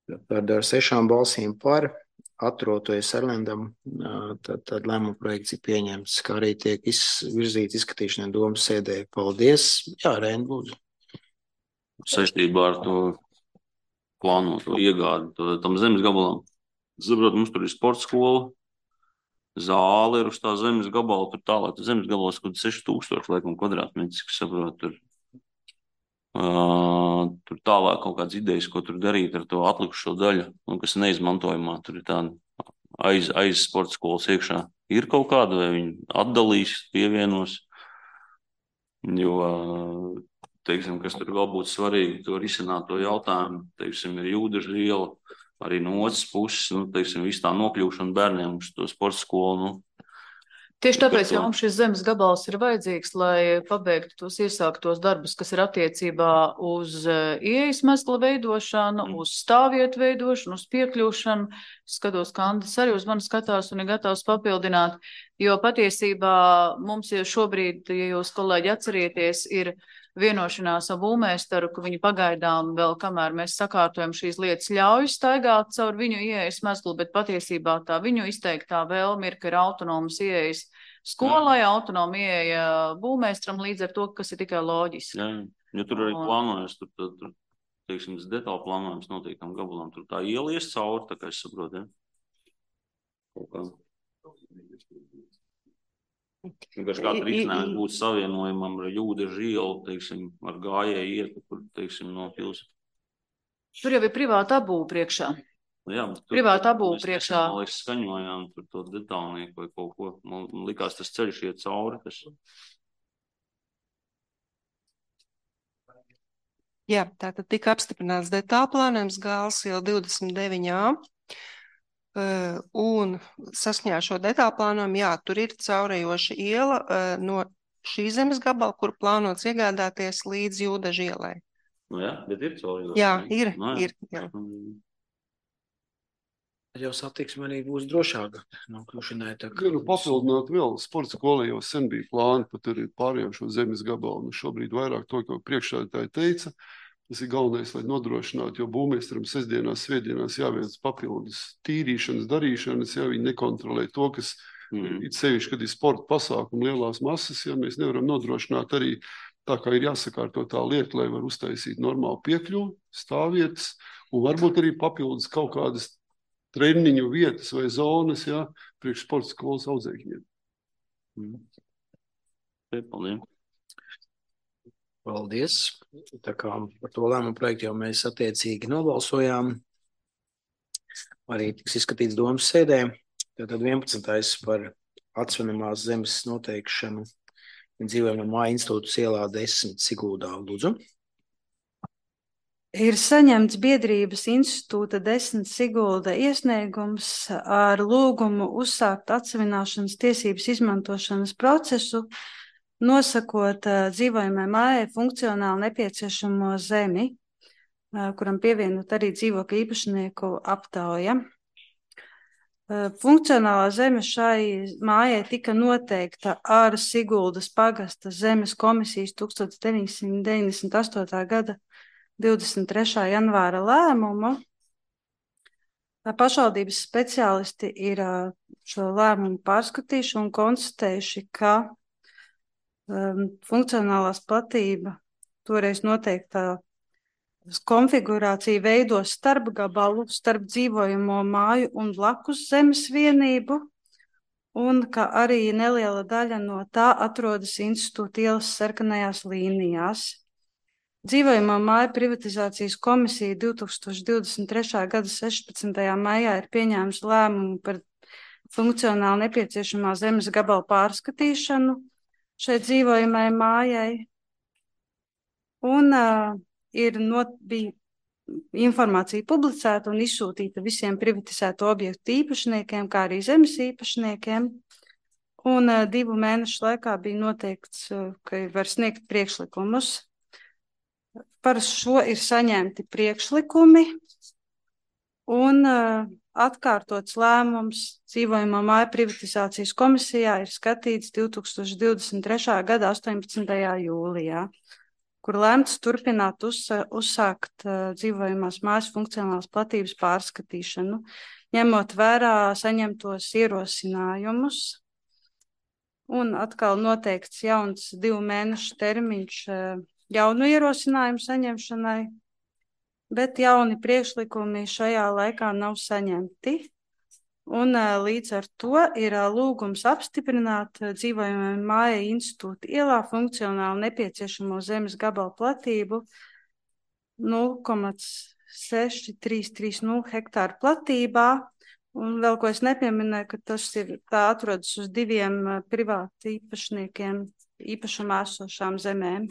Tad ar sešām balsīm par atroties Erlendam, tad, tad lēmuma projekts ir pieņemts, kā arī tiek izvirzīts izskatīšanai domas sēdē. Paldies. Jā, Reini, lūdzu. Saistībā ar to plānoto iegādi to, tam zemes gabalam. Saprot, mums tur ir sporta skola, zāle ir uz tā zemes gabala, tur tālāk zemes gabalas, kur seši tūkstoši laikam kvadrātmetrs, kas saprot, tur. Uh, tur tālāk kaut kādas idejas, ko tur darīt ar to atlikušo daļu, un kas neizmantojumā. Tur ir tāda aiz, aiz sporta skolas iekšā. Ir kaut kāda, vai viņi atdalīs, pievienos, jo, teiksim, kas tur vēl būtu svarīgi, to risināt to jautājumu, teiksim, ir Jūdeža iela, arī no otras puses, nu, teiksim, viss tā nokļūšana bērniem uz to sporta skolu, nu. Tieši tāpēc, ka mums šis zemes gabals ir vajadzīgs, lai pabeigtu tos iesāktos darbus, kas ir attiecībā uz ieejas mezgla veidošanu, uz stāvvietu veidošanu, uz piekļūšanu. Skatos, ka Andris arī uz mani skatās un ir gatavs papildināt, jo patiesībā mums jau šobrīd, ja jūs, kolēģi, atcerieties, ir vienošanās ar būvmeistaru, ka viņi pagaidām vēl, kamēr mēs sakārtojam šīs lietas, ļauj staigāt caur viņu ieejas mezglu, bet patiesībā tā viņu izteiktā vēlme ir, ka ir autonomas ieejas skolai, autonoma ieeja būvmeistaram, līdz ar to, kas ir tikai loģiski. Jā, jo tur arī plānojas, tur, tur, tur teiksim, detāli plānojums noteiktam gabalam, tur tā ielies cauri, tā kā es saprotu, ja? Kaut kā. Vienkārši katra risinājums būtu savienojumam ar Jūdeža ielu, teiksim, ar gājēju ietu, kur, teiksim, no pils. Tur jau ir privāta abūve priekšā. Jā, tur, privāta abūve priekšā. Man liekas, skaņojām tur to detālnieku vai kaut ko. Man likās, tas ceļš iet cauri. Tas... Jā, tātad tika apstiprināts detālplānojums Gāles iela divdesmit deviņi A. Uh, un saskaņā šo detālplānojumu, jā, tur ir caurējoša iela uh, no šī zemes gabala, kur plānots iegādāties līdz Jūdeža ielai. Nu jā, bet ir caurējoša. Jā, ir, no, jā. ir. Jā. Jau satiksme arī būs drošāka. Nav kļūšanai tā. Gribu papildināt vēl, sporta skolē jau sen bija plāni, pat arī pārējām šo zemes gabalu. Un šobrīd vairāk to, ko priekšsēdētāji teica, tas ir galvenais, lai nodrošinātu, jo būvmeistaram sestdienās, svētdienās jāveic papildus tīrīšanas, darīšanas, ja viņi nekontrolē to, kas mm. ir sevišķi, kad ir sporta pasākumi lielās masas, ja mēs nevaram nodrošināt arī tā, kā ir jāsakārto tā lieta, lai var uztaisīt normālu piekļuvu, stāvvietas, un varbūt arī papildus kaut kādas treniņu vietas vai zonas, ja, priekš sporta skolas audzēkņiem. Mm. Paldies. Paldies. Tā kā par to lēmumu projektu jau mēs attiecīgi nobalsojām. Arī tiks izskatīts domas sēdē. Tātad vienpadsmitais par atsvenamās zemes noteikšanu dzīvojamā māja institūtas ielā desmit Siguldā. Lūdzu. Ir saņemts biedrības institūta desmit Sigulda iesniegums ar lūgumu uzsākt atsevināšanas tiesības izmantošanas procesu, nosakot uh, dzīvojamai mājai funkcionāli nepieciešamo zemi, uh, kuram pievienot arī dzīvokļu īpašnieku aptauja. Uh, funkcionālā zeme šai mājai tika noteikta ar Siguldas pagasta zemes komisijas tuksstoš deviņsimt deviņdesmit astotā gada divdesmit trešā janvāra lēmumu. Pašvaldības speciālisti ir šo lēmumu pārskatījuši un konstatējuši, ka um, funkcionālās platība toreiz noteiktā konfigurācija veido starpgabalu starp dzīvojamo māju un blakus zemes vienību, un ka arī neliela daļa no tā atrodas institūta ielas sarkanajās līnijās. Dzīvojamā māja privatizācijas komisija divtūkstoš divdesmit trešā gada sešpadsmitajā maijā ir pieņēmusi lēmumu par funkcionāli nepieciešamā zemes gabala pārskatīšanu šai dzīvojamai mājai. Un uh, ir not, bija informācija publicēta un izsūtīta visiem privatizēto objektu īpašniekiem, kā arī zemes īpašniekiem. Un uh, divu mēnešu laikā bija noteikts, uh, ka var sniegt priekšlikumus. Par šo ir saņemti priekšlikumi un uh, atkārtots lēmums dzīvojamā māja privatizācijas komisijā ir skatīts divtūkstoš divdesmit trešā gada astoņpadsmitajā jūlijā, kur lēmts turpināt uzsa, uzsākt uh, dzīvojamās mājas funkcionālās platības pārskatīšanu, ņemot vērā saņemtos ierosinājumus. Un atkal noteikts jauns divu mēnešu termiņš uh, jaunu ierosinājumu saņemšanai, bet jauni priekšlikumi šajā laikā nav saņemti. Un līdz ar to ir lūgums apstiprināt dzīvojamai mājai institūta ielā funkcionāli nepieciešamo zemes gabalu platību nulle komats seši trīs trīs nulle hektāru platībā. Un vēl ko es nepieminēju, ka tas ir tā atrodas uz diviem privāti īpašniekiem īpašumā esošām zemēm.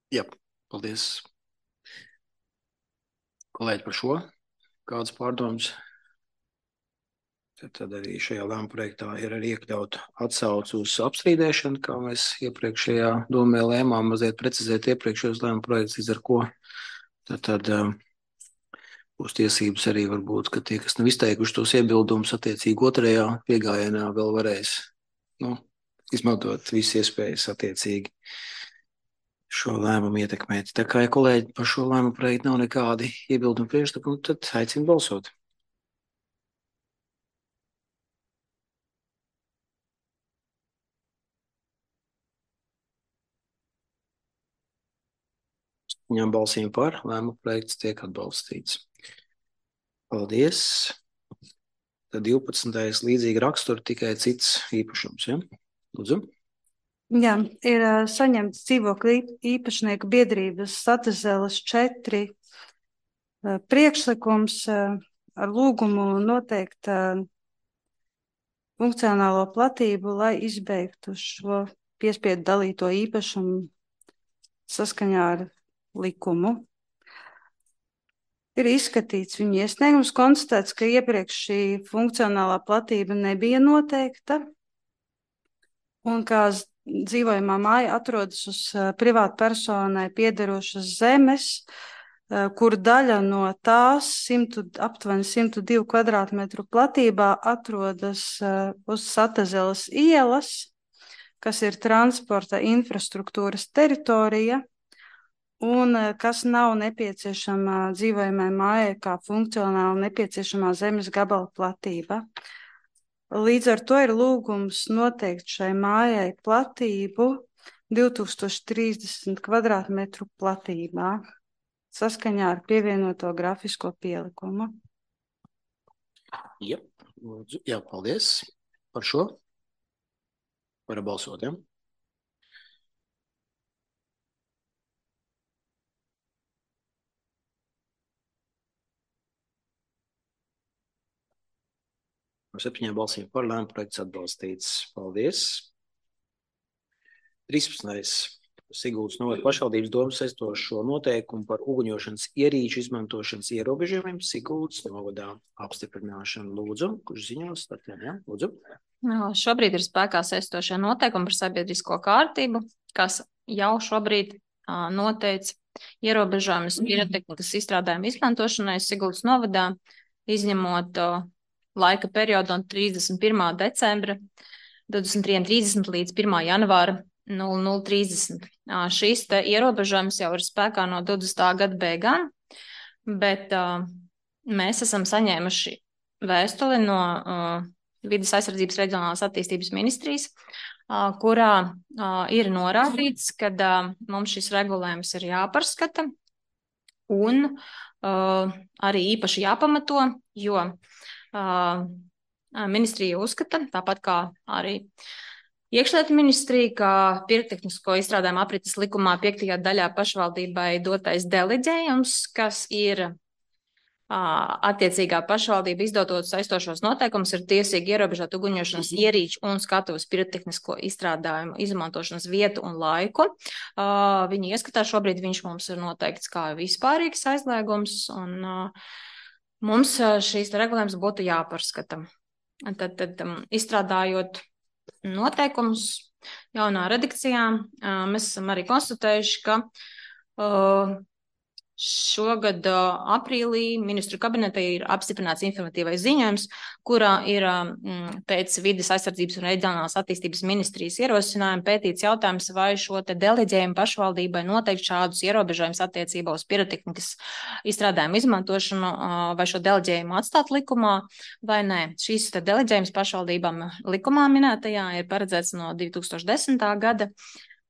Jā, paldies. Kolēģi par šo. Kādas pārdomas? Tad, tad arī šajā lēmuma projektā ir arī iekļauta atsauce uz apstrīdēšanu, kā mēs iepriekšējā domē lēmām mazliet precizēt iepriekšējos lēmuma projekts, līdz ar ko tad, tad um, būs tiesības arī varbūt, ka tie, kas nav izteikuši tos iebildumus attiecīgi otrajā piegājienā, vēl varēs nu, izmantot visas iespējas attiecīgi šo lēmumu ietekmēt. Tā kā, ja kolēģi par šo lēmumu projektu nav nekādi iebildumi priekšlikumi, tad aicinu balsot. Ņem balsīm par, lēmumu projekts tiek atbalstīts. Paldies. Tad divpadsmitais līdzīgi rakstura, tikai cits īpašums, ja? Lūdzu. Jā, ir uh, saņemts dzīvokļu īpašnieku biedrības Satazeles četri uh, priekšlikums uh, ar lūgumu noteikt uh, funkcionālo platību, lai izbeigtu šo piespiedu dalīto īpašumu saskaņā ar likumu. Ir izskatīts viņu iesniegums, konstatēts, ka iepriekš šī funkcionālā platība nebija noteikta un kā dzīvojamā māja atrodas uz uh, privātu personai piederošas zemes, uh, kur daļa no tās simtu, aptuveni simt divu kvadrātmetru platībā atrodas uh, uz Satazeles ielas, kas ir transporta infrastruktūras teritorija un uh, kas nav nepieciešama dzīvojamai mājai kā funkcionāli nepieciešamā zemes gabala platība. Līdz ar to ir lūgums noteikt šai mājai platību divtūkstoš trīsdesmit kvadrātmetru platībā saskaņā ar pievienoto grafisko pielikumu. Jā, jā, paldies par šo. Varam balsot, ja? Ar septiņām balsīm par lēmumu projekts atbalstīts. Paldies. trīspadsmitais Siguldas novada pašvaldības domas saistošo noteikumu par uguņošanas ierīču izmantošanas ierobežojumiem Siguldas novadā apstiprināšanu. Lūdzu, kurš ziņos? Tātad, ja? Lūdzu. No, šobrīd ir spēkā saistošie noteikumi par sabiedrisko kārtību, kas jau šobrīd uh, noteica ierobežojumus pirotehnikas izstrādājumu izmantošanai Siguldas novadā, izņemot uh, laika periodu no trīsdesmit pirmā decembra divdesmit trīs trīsdesmit līdz pirmā janvāra nulle nulle trīsdesmit. Uh, šīs te ierobežojums jau ir spēkā no divdesmitā gada beigām, bet uh, mēs esam saņēmuši vēstuli no uh, Vides aizsardzības reģionālās attīstības ministrijas, uh, kurā uh, ir norādīts, ka uh, mums šis regulējums ir jāpārskata un uh, arī īpaši jāpamato, jo uh, ministrija uzskata, tāpat kā arī Iekšlietu ministrija, ka pirotehnisko izstrādājumu aprites likumā piektajā daļā pašvaldībai dotais deleģējums, kas ir attiecīgā pašvaldība izdotot saistošos noteikumus, ir tiesīgi ierobežot uguņošanas ierīču un skatuves pirotehnisko izstrādājumu izmantošanas vietu un laiku. Uh, viņa ieskatā šobrīd viņš mums ir noteikts kā vispārīgs aizliegums, un uh, mums šīs regulējums būtu jāpārskata. Tad, tad um, izstrādājot noteikumus jaunā redakcijā, uh, mēs esam arī konstatējuši, ka uh, Šogad uh, aprīlī ministru kabinetā ir apstiprināts informatīvais ziņojums, kurā ir um, pēc Vides aizsardzības un reģionālās attīstības ministrijas ierosinājuma pētīts jautājums, vai šo te deleģējumu pašvaldībai noteikt šādus ierobežojumus attiecībā uz pirotehnikas izstrādājumu izmantošanu, uh, vai šo deleģējumu atstāt likumā, vai nē. Šīs te deleģējums pašvaldībām likumā minētajā ir paredzēts no divi tūkstoši desmitā gada,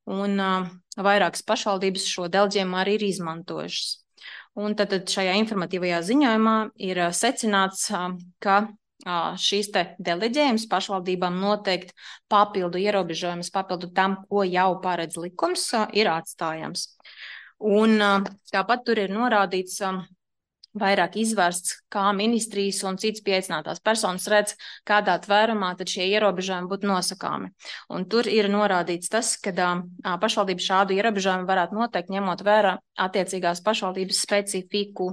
un uh, vairākas pašvaldības šo deleģējumu arī ir izmantojušas. Un tad, tad šajā informatīvajā ziņojumā ir uh, secināts, uh, ka uh, šīs te deleģējums pašvaldībām noteikti papildu ierobežojumus, papildu tam, ko jau paredz likums, uh, ir atstājams. Un uh, tāpat tur ir norādīts, uh, vairāk izvērsts, kā ministrijas un citas pieaicinātās personas redz, kādā tvērumā tad šie ierobežojumi būtu nosakāmi. Un tur ir norādīts tas, ka uh, pašvaldība šādu ierobežojumu varētu noteikt, ņemot vērā attiecīgās pašvaldības specifiku.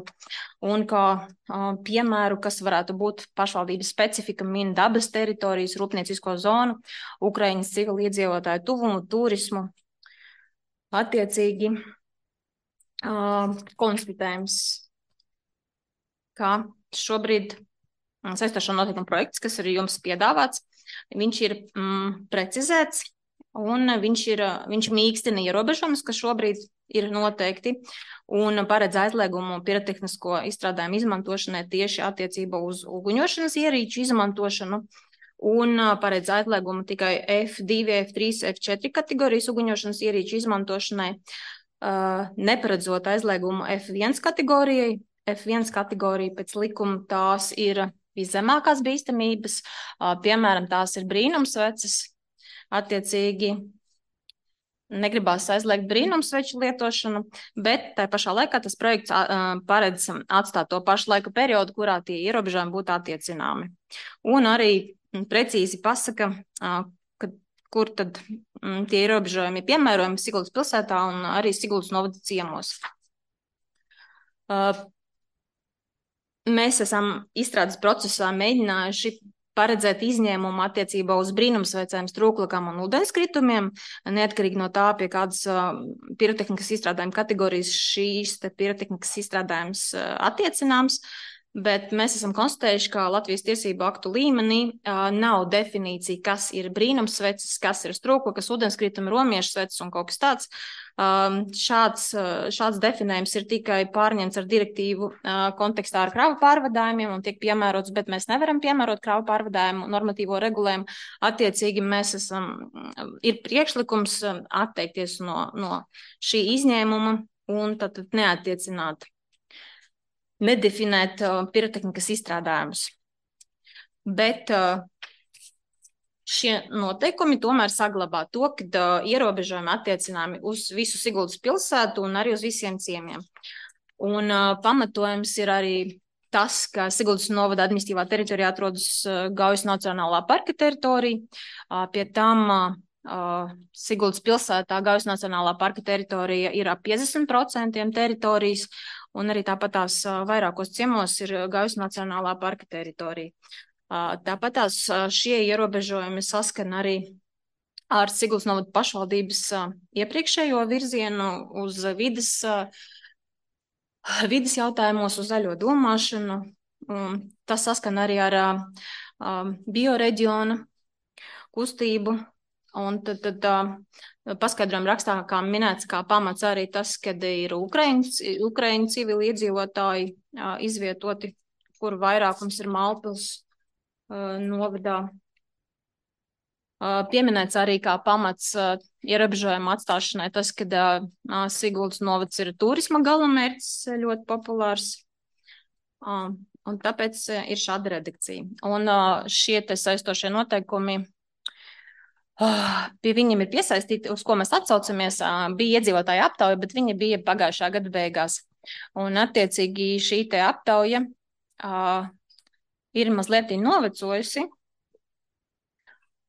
Un kā uh, piemēru, kas varētu būt pašvaldības specifika, min dabas teritorijas, rūpniecisko zonu, Ukraiņas civiliedzīvotāju tuvumu, turismu. Attiecīgi uh, konstatējums, ka šobrīd saistošo noteikumu projekts, kas ir jums piedāvāts, viņš ir mm, precizēts un viņš, ir, viņš mīkstina ierobežojumus, kas šobrīd ir noteikti, un paredz aizliegumu pirotehnisko izstrādājumu izmantošanai tieši attiecībā uz uguņošanas ierīču izmantošanu, un paredz aizliegumu tikai F divi, F trīs, F četri kategorijas uguņošanas ierīču izmantošanai, uh, neparedzot aizliegumu F viens kategorijai. F viens kategorija pēc likuma tās ir viszemākās bīstamības, piemēram, tās ir brīnumsveces, attiecīgi negribās aizliegt brīnumsveču lietošanu, bet tā pašā laikā tas projekts paredz atstāt to pašu laika periodu, kurā tie ierobežojumi būtu attiecināmi. Un arī precīzi pasaka, ka, kur tad tie ierobežojumi ir piemērojami Siguldas pilsētā un arī Siguldas novada ciemos. Mēs esam izstrādes procesā mēģinājuši paredzēt izņēmumu attiecībā uz brīnumsvecēm, strūklakām un ūdenskritumiem, neatkarīgi no tā, pie kādas uh, pirotehnikas izstrādājuma kategorijas šīs te pirotehnikas izstrādājums uh, attiecināms, bet mēs esam konstatējuši, ka Latvijas tiesību aktu līmenī uh, nav definīcija, kas ir brīnumsveces, kas ir strūklakas, ūdenskritumi, romiešu sveces un kaut kas tāds. Um, šāds, šāds definējums ir tikai pārņemts ar direktīvu uh, kontekstā ar kravu pārvadājumiem un tiek piemērots, bet mēs nevaram piemērot kravu pārvadājumu normatīvo regulējumu. Attiecīgi mēs esam, ir priekšlikums atteikties no, no šī izņēmuma un tad neattiecināt, nedefinēt uh, pirotehnikas izstrādājumus. Bet uh, šie noteikumi tomēr saglabā to, ka uh, ierobežojumi attiecināmi uz visu Siguldas pilsētu un arī uz visiem ciemiem. Un uh, pamatojums ir arī tas, ka Siguldas novada administratīvā teritorijā atrodas Gaujas Nacionālā parka teritorija. Pie tam Siguldas pilsētā Gaujas Nacionālā parka teritorija ir ap piecdesmit procenti teritorijas, un arī tāpat tās vairākos ciemos ir Gaujas Nacionālā parka teritorija. Tāpat tās šie ierobežojumi saskan arī ar Siguldas novada pašvaldības iepriekšējo virzienu uz vides vides jautājumos, uz zaļo domāšanu. Tas saskan arī ar uh, bioreģiona kustību. Un tad, tad uh, paskaidrojam rakstā, kā minēts, kā pamats arī tas, kad ir Ukraiņu, Ukraiņu civili iedzīvotāji uh, izvietoti, kur vairākums ir Mālpils uh, novadā. Pieminēts arī kā pamats ierobežojuma atstāšanai tas, ka Siguldas novads ir turisma galamērķis ļoti populārs, un tāpēc ir šāda redakcija. Un šie te saistošie noteikumi, pie viņiem ir piesaistīti, uz ko mēs atsaucamies, bija iedzīvotāja aptauja, bet viņa bija pagājušā gada beigās. Un attiecīgi šī te aptauja ir mazliet novecojusi.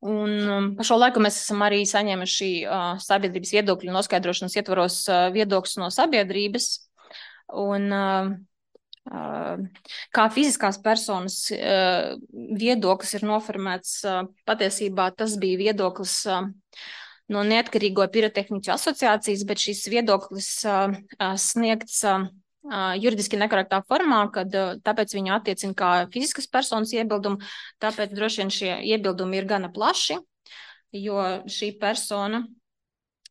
Un um, pa šo laiku mēs esam arī saņēmuši uh, sabiedrības viedokļu noskaidrošanas ietvaros uh, viedokļus no sabiedrības. Un uh, uh, kā fiziskās personas uh, viedoklis ir noformēts, uh, patiesībā tas bija viedoklis uh, no Neatkarīgo pirotehniķu asociācijas, bet šis viedoklis uh, uh, sniegts uh, juridiski nekorektā formā, kad tāpēc viņu attiecina kā fiziskas personas iebildumu, tāpēc droši vien šie iebildumi ir gana plaši, jo šī persona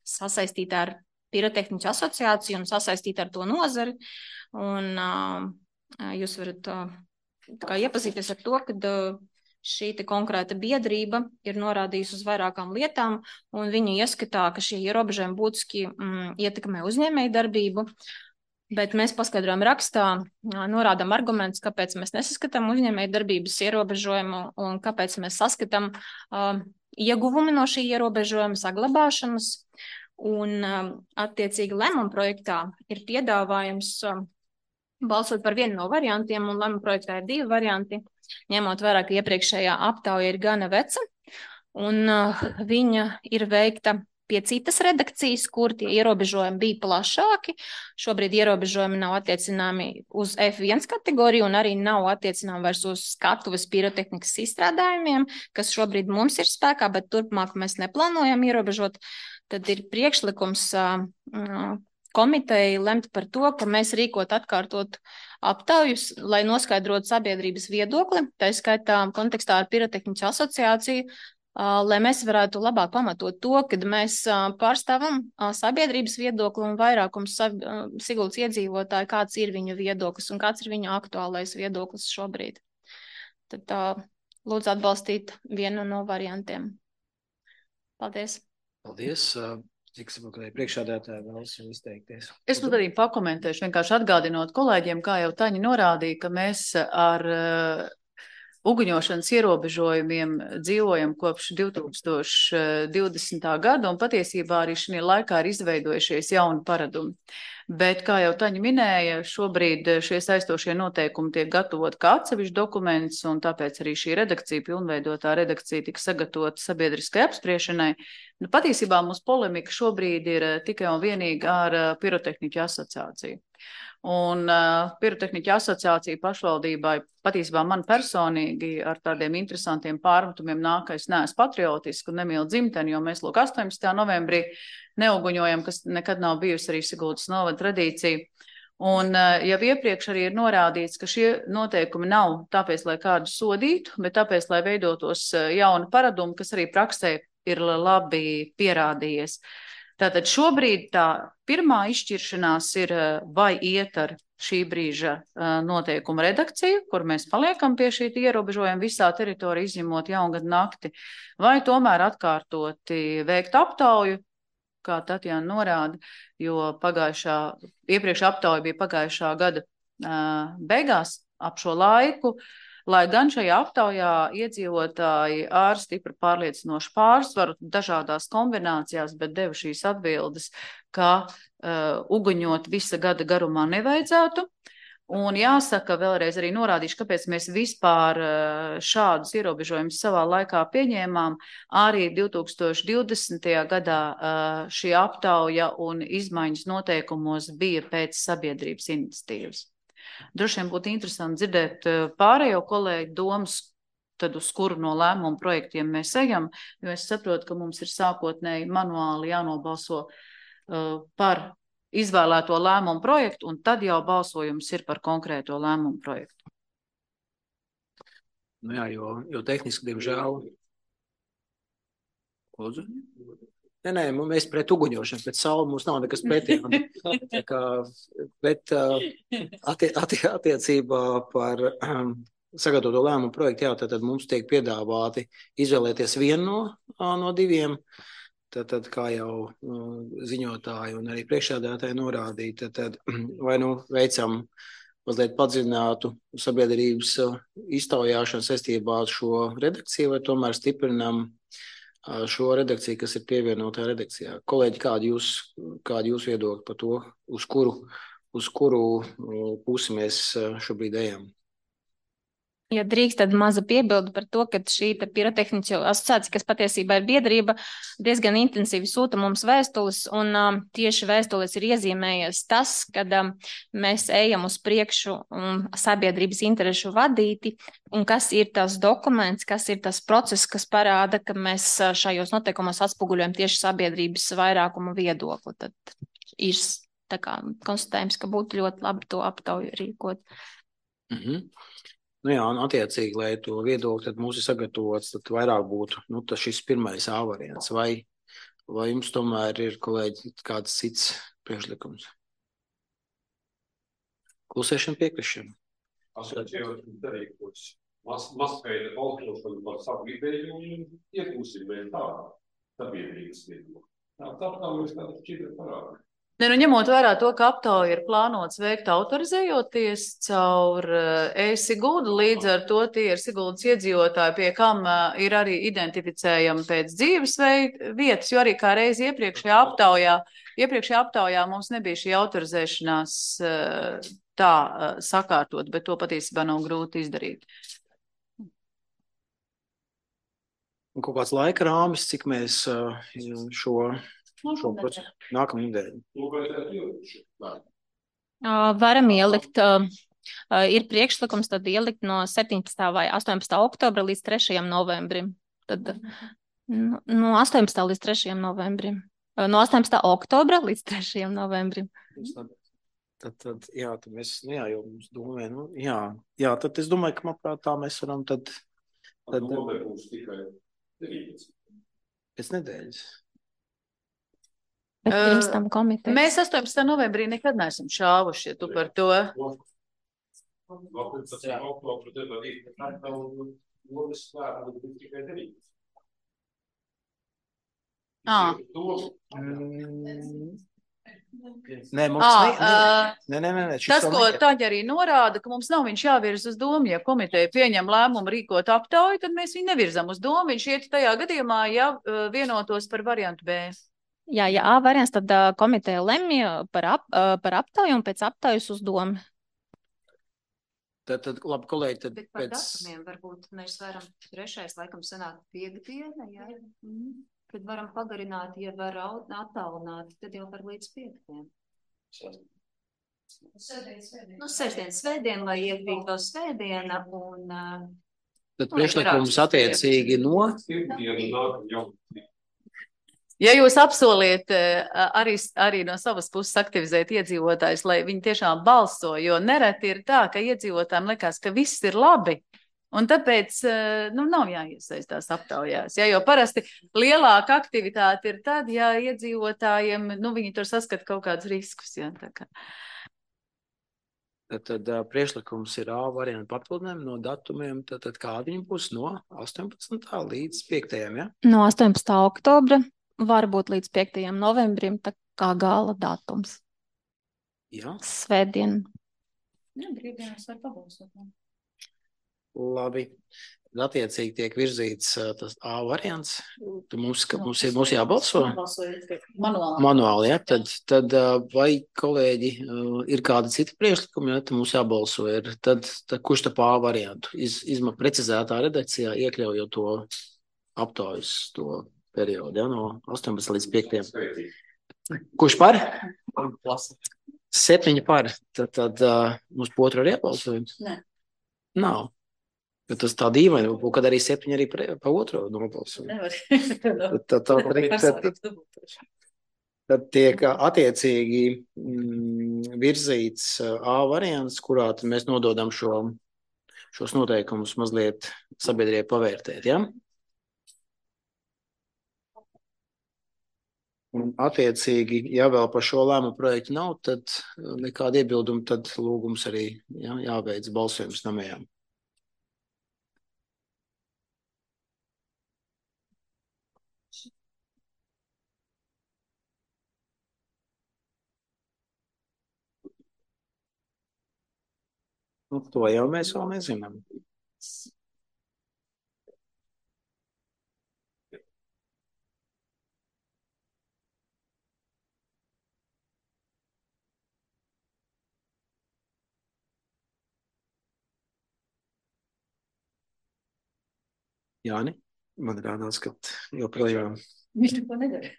sasaistīta ar pirotehniķu asociāciju un sasaistīta ar to nozari, un uh, jūs varat uh, kā iepazīties ar to, kad uh, šī te konkrēta biedrība ir norādījusi uz vairākām lietām, un viņu ieskatā, ka šie ierobežojumi būtiski mm, ietekmē uzņēmēju darbību. Bet mēs paskaidrojam rakstā, norādām argumentus, kāpēc mēs nesaskatām uzņēmēju darbības ierobežojumu un kāpēc mēs saskatām uh, ieguvumi no šī ierobežojuma saglabāšanas. Un uh, attiecīgi lēmuma projektā ir piedāvājums uh, balsot par vienu no variantiem, un lēmuma projektā ir divi varianti, ņemot vērā, ka iepriekšējā aptauja ir gana veca, un uh, viņa ir veikta pie citas redakcijas, kur tie ierobežojumi bija plašāki. Šobrīd ierobežojumi nav attiecināmi uz F viens kategoriju un arī nav attiecināmi vairs uz skatuves pirotehnikas izstrādājumiem, kas šobrīd mums ir spēkā, bet turpmāk mēs neplānojam ierobežot. Tad ir priekšlikums uh, komiteja lemt par to, ka mēs rīkot atkārtot aptaujus, lai noskaidrotu sabiedrības viedokli, tā skaitā kontekstā ar pirotehniķu asociāciju, lai mēs varētu labāk pamatot to, kad mēs pārstāvam sabiedrības viedokli un vairākums Siguldas iedzīvotāji, kāds ir viņu viedoklis un kāds ir viņu aktuālais viedoklis šobrīd. Tad tā, lūdzu atbalstīt vienu no variantiem. Paldies. Paldies. Cik saprotu, ka priekšādātāji vēlas izteikties. Es pat arī pakomentēšu, vienkārši atgādinot kolēģiem, kā jau Taņa norādīja, ka mēs ar uguņošanas ierobežojumiem dzīvojam kopš divi tūkstoši divdesmitā gada, un patiesībā arī šī laikā ir izveidojušies jauni paradumi. Bet, kā jau Taņa minēja, šobrīd šie saistošie noteikumi tiek gatavot kā atsevišķi dokuments, un tāpēc arī šī redakcija, pilnveidotā redakcija, tika sagatavota sabiedriskai apspriešanai. Nu, patiesībā mūsu polemika šobrīd ir tikai un vienīgi ar pirotehniķu asociāciju. Un uh, pirotehniķu asociācija pašvaldībai patiesībā man personīgi ar tādiem interesantiem pārmetumiem nāk, ka es neesmu patriotiski un nemīlu dzimteni, jo mēs lūk astoņpadsmitajā novembrī neuguņojam, kas nekad nav bijusi arī Siguldas novada tradīcija. Un uh, jau iepriekš arī ir norādīts, ka šie noteikumi nav tāpēc, lai kādu sodītu, bet tāpēc, lai veidotos jauni paradumi, kas arī praksē ir labi pierādījies. Tātad šobrīd tā pirmā izšķiršanās ir, vai iet ar šī brīža noteikuma redakciju, kur mēs paliekam pie šī ierobežojuma visā teritorijā, izņemot jaungadu nakti, vai tomēr atkārtoti veikt aptauju, kā Tatjana norāda, jo pagājušā, iepriekš aptauja bija pagājušā gada beigās ap šo laiku, lai gan šajā aptaujā iedzīvotāji ar stipri pārliecinošu pārsvaru dažādās kombinācijās, bet deva šīs atbildes, ka uh, uguņot visa gada garumā nevajadzētu. Un jāsaka, vēlreiz arī norādīšu, kāpēc mēs vispār šādus ierobežojumus savā laikā pieņēmām. Arī divi tūkstoši divdesmitajā gadā šī aptauja un izmaiņas noteikumos bija pēc sabiedrības iniciatīvas. Droši vien būtu interesanti dzirdēt pārējo kolēģu domas, tad uz kuru no lēmumu projektiem mēs ejam, jo es saprotu, ka mums ir sākotnēji manuāli jānobalso uh, par izvēlēto lēmumu projektu, un tad jau balsojums ir par konkrēto lēmumu projektu. Nu jā, jo, jo tehniski, diemžēl. Lūdzu? Nē, nē, mēs pret uguņošanu, pret sauli mums nav nekas pretī. Tā kā, bet attie, attie, attiecībā par um, sagatavoto lēmumu projektu, jā, tad, tad mums tiek piedāvāti izvēlēties vienu no, no diviem. Tad, tad, kā jau uh, ziņotāji un arī priekšsēdētāji norādīja, tad, tad vai nu veicam mazliet padziļinātu sabiedrības uh, iztaujāšanu saistībā ar šo redakciju, vai tomēr stiprinam uh, šo redakciju, kas ir pievienotā redakcijā. Kolēģi, kādi jūs, kādi jūs viedokļi par to, uz kuru, uz kuru uh, pusi mēs uh, šobrīd ejam? Ja drīkst, tad maza piebilda par to, ka šī pirotehniķu asociācija, kas patiesībā ir biedrība, diezgan intensīvi sūta mums vēstules, un um, tieši vēstules ir iezīmējies tas, kad um, mēs ejam uz priekšu um, sabiedrības interešu vadīti, un kas ir tas dokuments, kas ir tas process, kas parāda, ka mēs šajos noteikumos atspoguļojam tieši sabiedrības vairākuma viedokli. Tad ir tā kā konstatējums, ka būtu ļoti labi to aptauju rīkot. Mhm. Nu jā, un attiecīgi, lai to viedokli tad mums ir sagatavots, tad vairāk būtu, nu, tas šis pirmais A variants. Vai, vai jums tomēr ir, kolēģi, kāds cits priekšlikums? Klusēšana, piekrišana. Es jau darīkos masveida balsošanu par savu ideju un iekūsim vēl tā sabiedrības viedokli. Tā tā mēs tāda šķita parāda. Ne, nu, ņemot vērā to, ka aptauja ir plānots veikt autorizējoties caur e-Siguldu, līdz ar to tie ir Siguldas iedzīvotāji, pie kam ir arī identificējami pēc dzīves vietas, jo arī kā reiz iepriekšējā aptaujā, iepriekšējā aptaujā mums nebija šī autorizēšanās tā sakārtot, bet to patiesībā nav grūti izdarīt. Un kaut kāds laika rāmis, cik mēs šo... Nākamā nedēļa. Varam ielikt, ir priekšlikums tad ielikt no septiņpadsmitā vai astoņpadsmitā oktobra līdz trešajam novembrim. Tad no astoņpadsmitā līdz trešajam novembrim. No astoņpadsmitā oktobra līdz trešajam novembrim. Tad, tad, jā, tad mēs, nu jā, jau mums domē, nu, jā, jā, tad es domāju, ka, manuprāt, tā mēs varam tad... tad novembris būs tikai deviņpadsmit. Pēc nedēļas. Uh, mēs astoņpadsmitā novembrī nekad neesam šāvuši, ja tu par to. Ah. Nē, mums ah, ne, ne, ne, ne, ne, tas, ko Taņa arī norāda, ka mums nav viņš jāvirz uz domu, ja komiteja pieņem lēmumu rīkot aptauju, tad mēs viņu nevirzam uz domu, viņš iet tajā gadījumā, ja vienotos par variantu B. Jā, ja A variants, tad uh, komiteja lemj par, ap, uh, par aptauju un pēc aptaujas uz domu. Tad, tad labi, kolēģi, tad Bet par pēc... datumiem varbūt mēs varam trešais laikam sanāk piekdiena, jā, mm. Kad varam pagarināt, ja var attālināt, tad jau var līdz piekdien. Nu, sestdien, svētdien, lai iekrīt vēl svētdiena un... Uh, tad priekšlikums attiecīgi no... Ja jūs apsoliet arī, arī no savas puses aktivizēt iedzīvotājus, lai viņi tiešām balso, jo nereti ir tā, ka iedzīvotājiem liekas, ka viss ir labi, un tāpēc nu, nav jāiesaistās aptaujās. Ja, jo parasti lielāka aktivitāte ir tad, ja iedzīvotājiem, nu, viņi tur saskat kaut kādus riskus. Ja, tā kā. Tad, tad priekšlikums ir A variantu papildinājumu no datumiem, tad, tad kādi viņi būs no astoņpadsmitā līdz piektajam, ja? No astoņpadsmitā oktobra. Varbūt līdz piektajam novembrim, tā kā gala datums. Jā. Svētdien. Jā, brīvdienas var pabalsot. Labi. Attiecīgi tiek virzīts tas A variants. Tu mums, ka mums ir mums jābalso? Manuāli. Manuāli, ja? Tad, tad vai kolēģi ir kādi citi priekšlikumi, ja tad mums jābalso ir. Tad, tad kurš tā A variantu? Iz, izma precizētā redakcijā iekļaujot to aptaujas to periodu, ja? No astoņpadsmit līdz piektajam. Kurš par? Septiņi par. Tad, tad uh, mums po otru arī jābalsojums? Nē. Nav. Bet tas tā dīvaini, kad arī septiņi arī pa, pa otro nobalsoju. Nevar. Tad, tad, tad, tad, tad tiek attiecīgi mm, virzīts A variants, kurā mēs nododam šo, šos noteikumus mazliet sabiedrībai pavērtēt, ja? Un attiecīgi, ja vēl par šo lēmumu projektu nav, tad nekāda iebilduma, tad lūgums arī ja, jāveic balsojums namējām. Nu, to jau mēs vēl nezinām. Jāni, man rādās, ka joprojām. Viņš to nedara.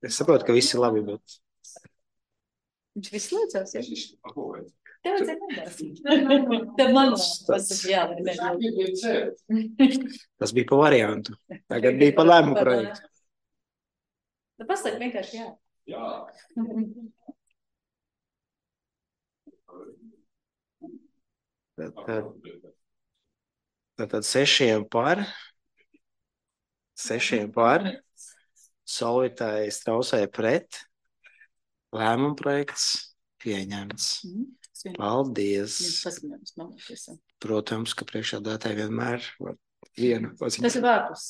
Es saprotu, ka viss ir labi, bet. Viņš viss liecās, ja? Tev vajadzēja nedara. Tev man pasaka, jā, vai ne? Tas bija pa variantu. Tagad bija pa lēmumu projektu. Tu pasaka vienkārši jā. Jā. Tad, tad, tad, tad sešiem par, sešiem par, Solvitai Strausai pret, lēmumu projekts pieņemts. Paldies. Protams, ka priekšādātāji vienmēr var vienu paziņot. Tas ir vārpus.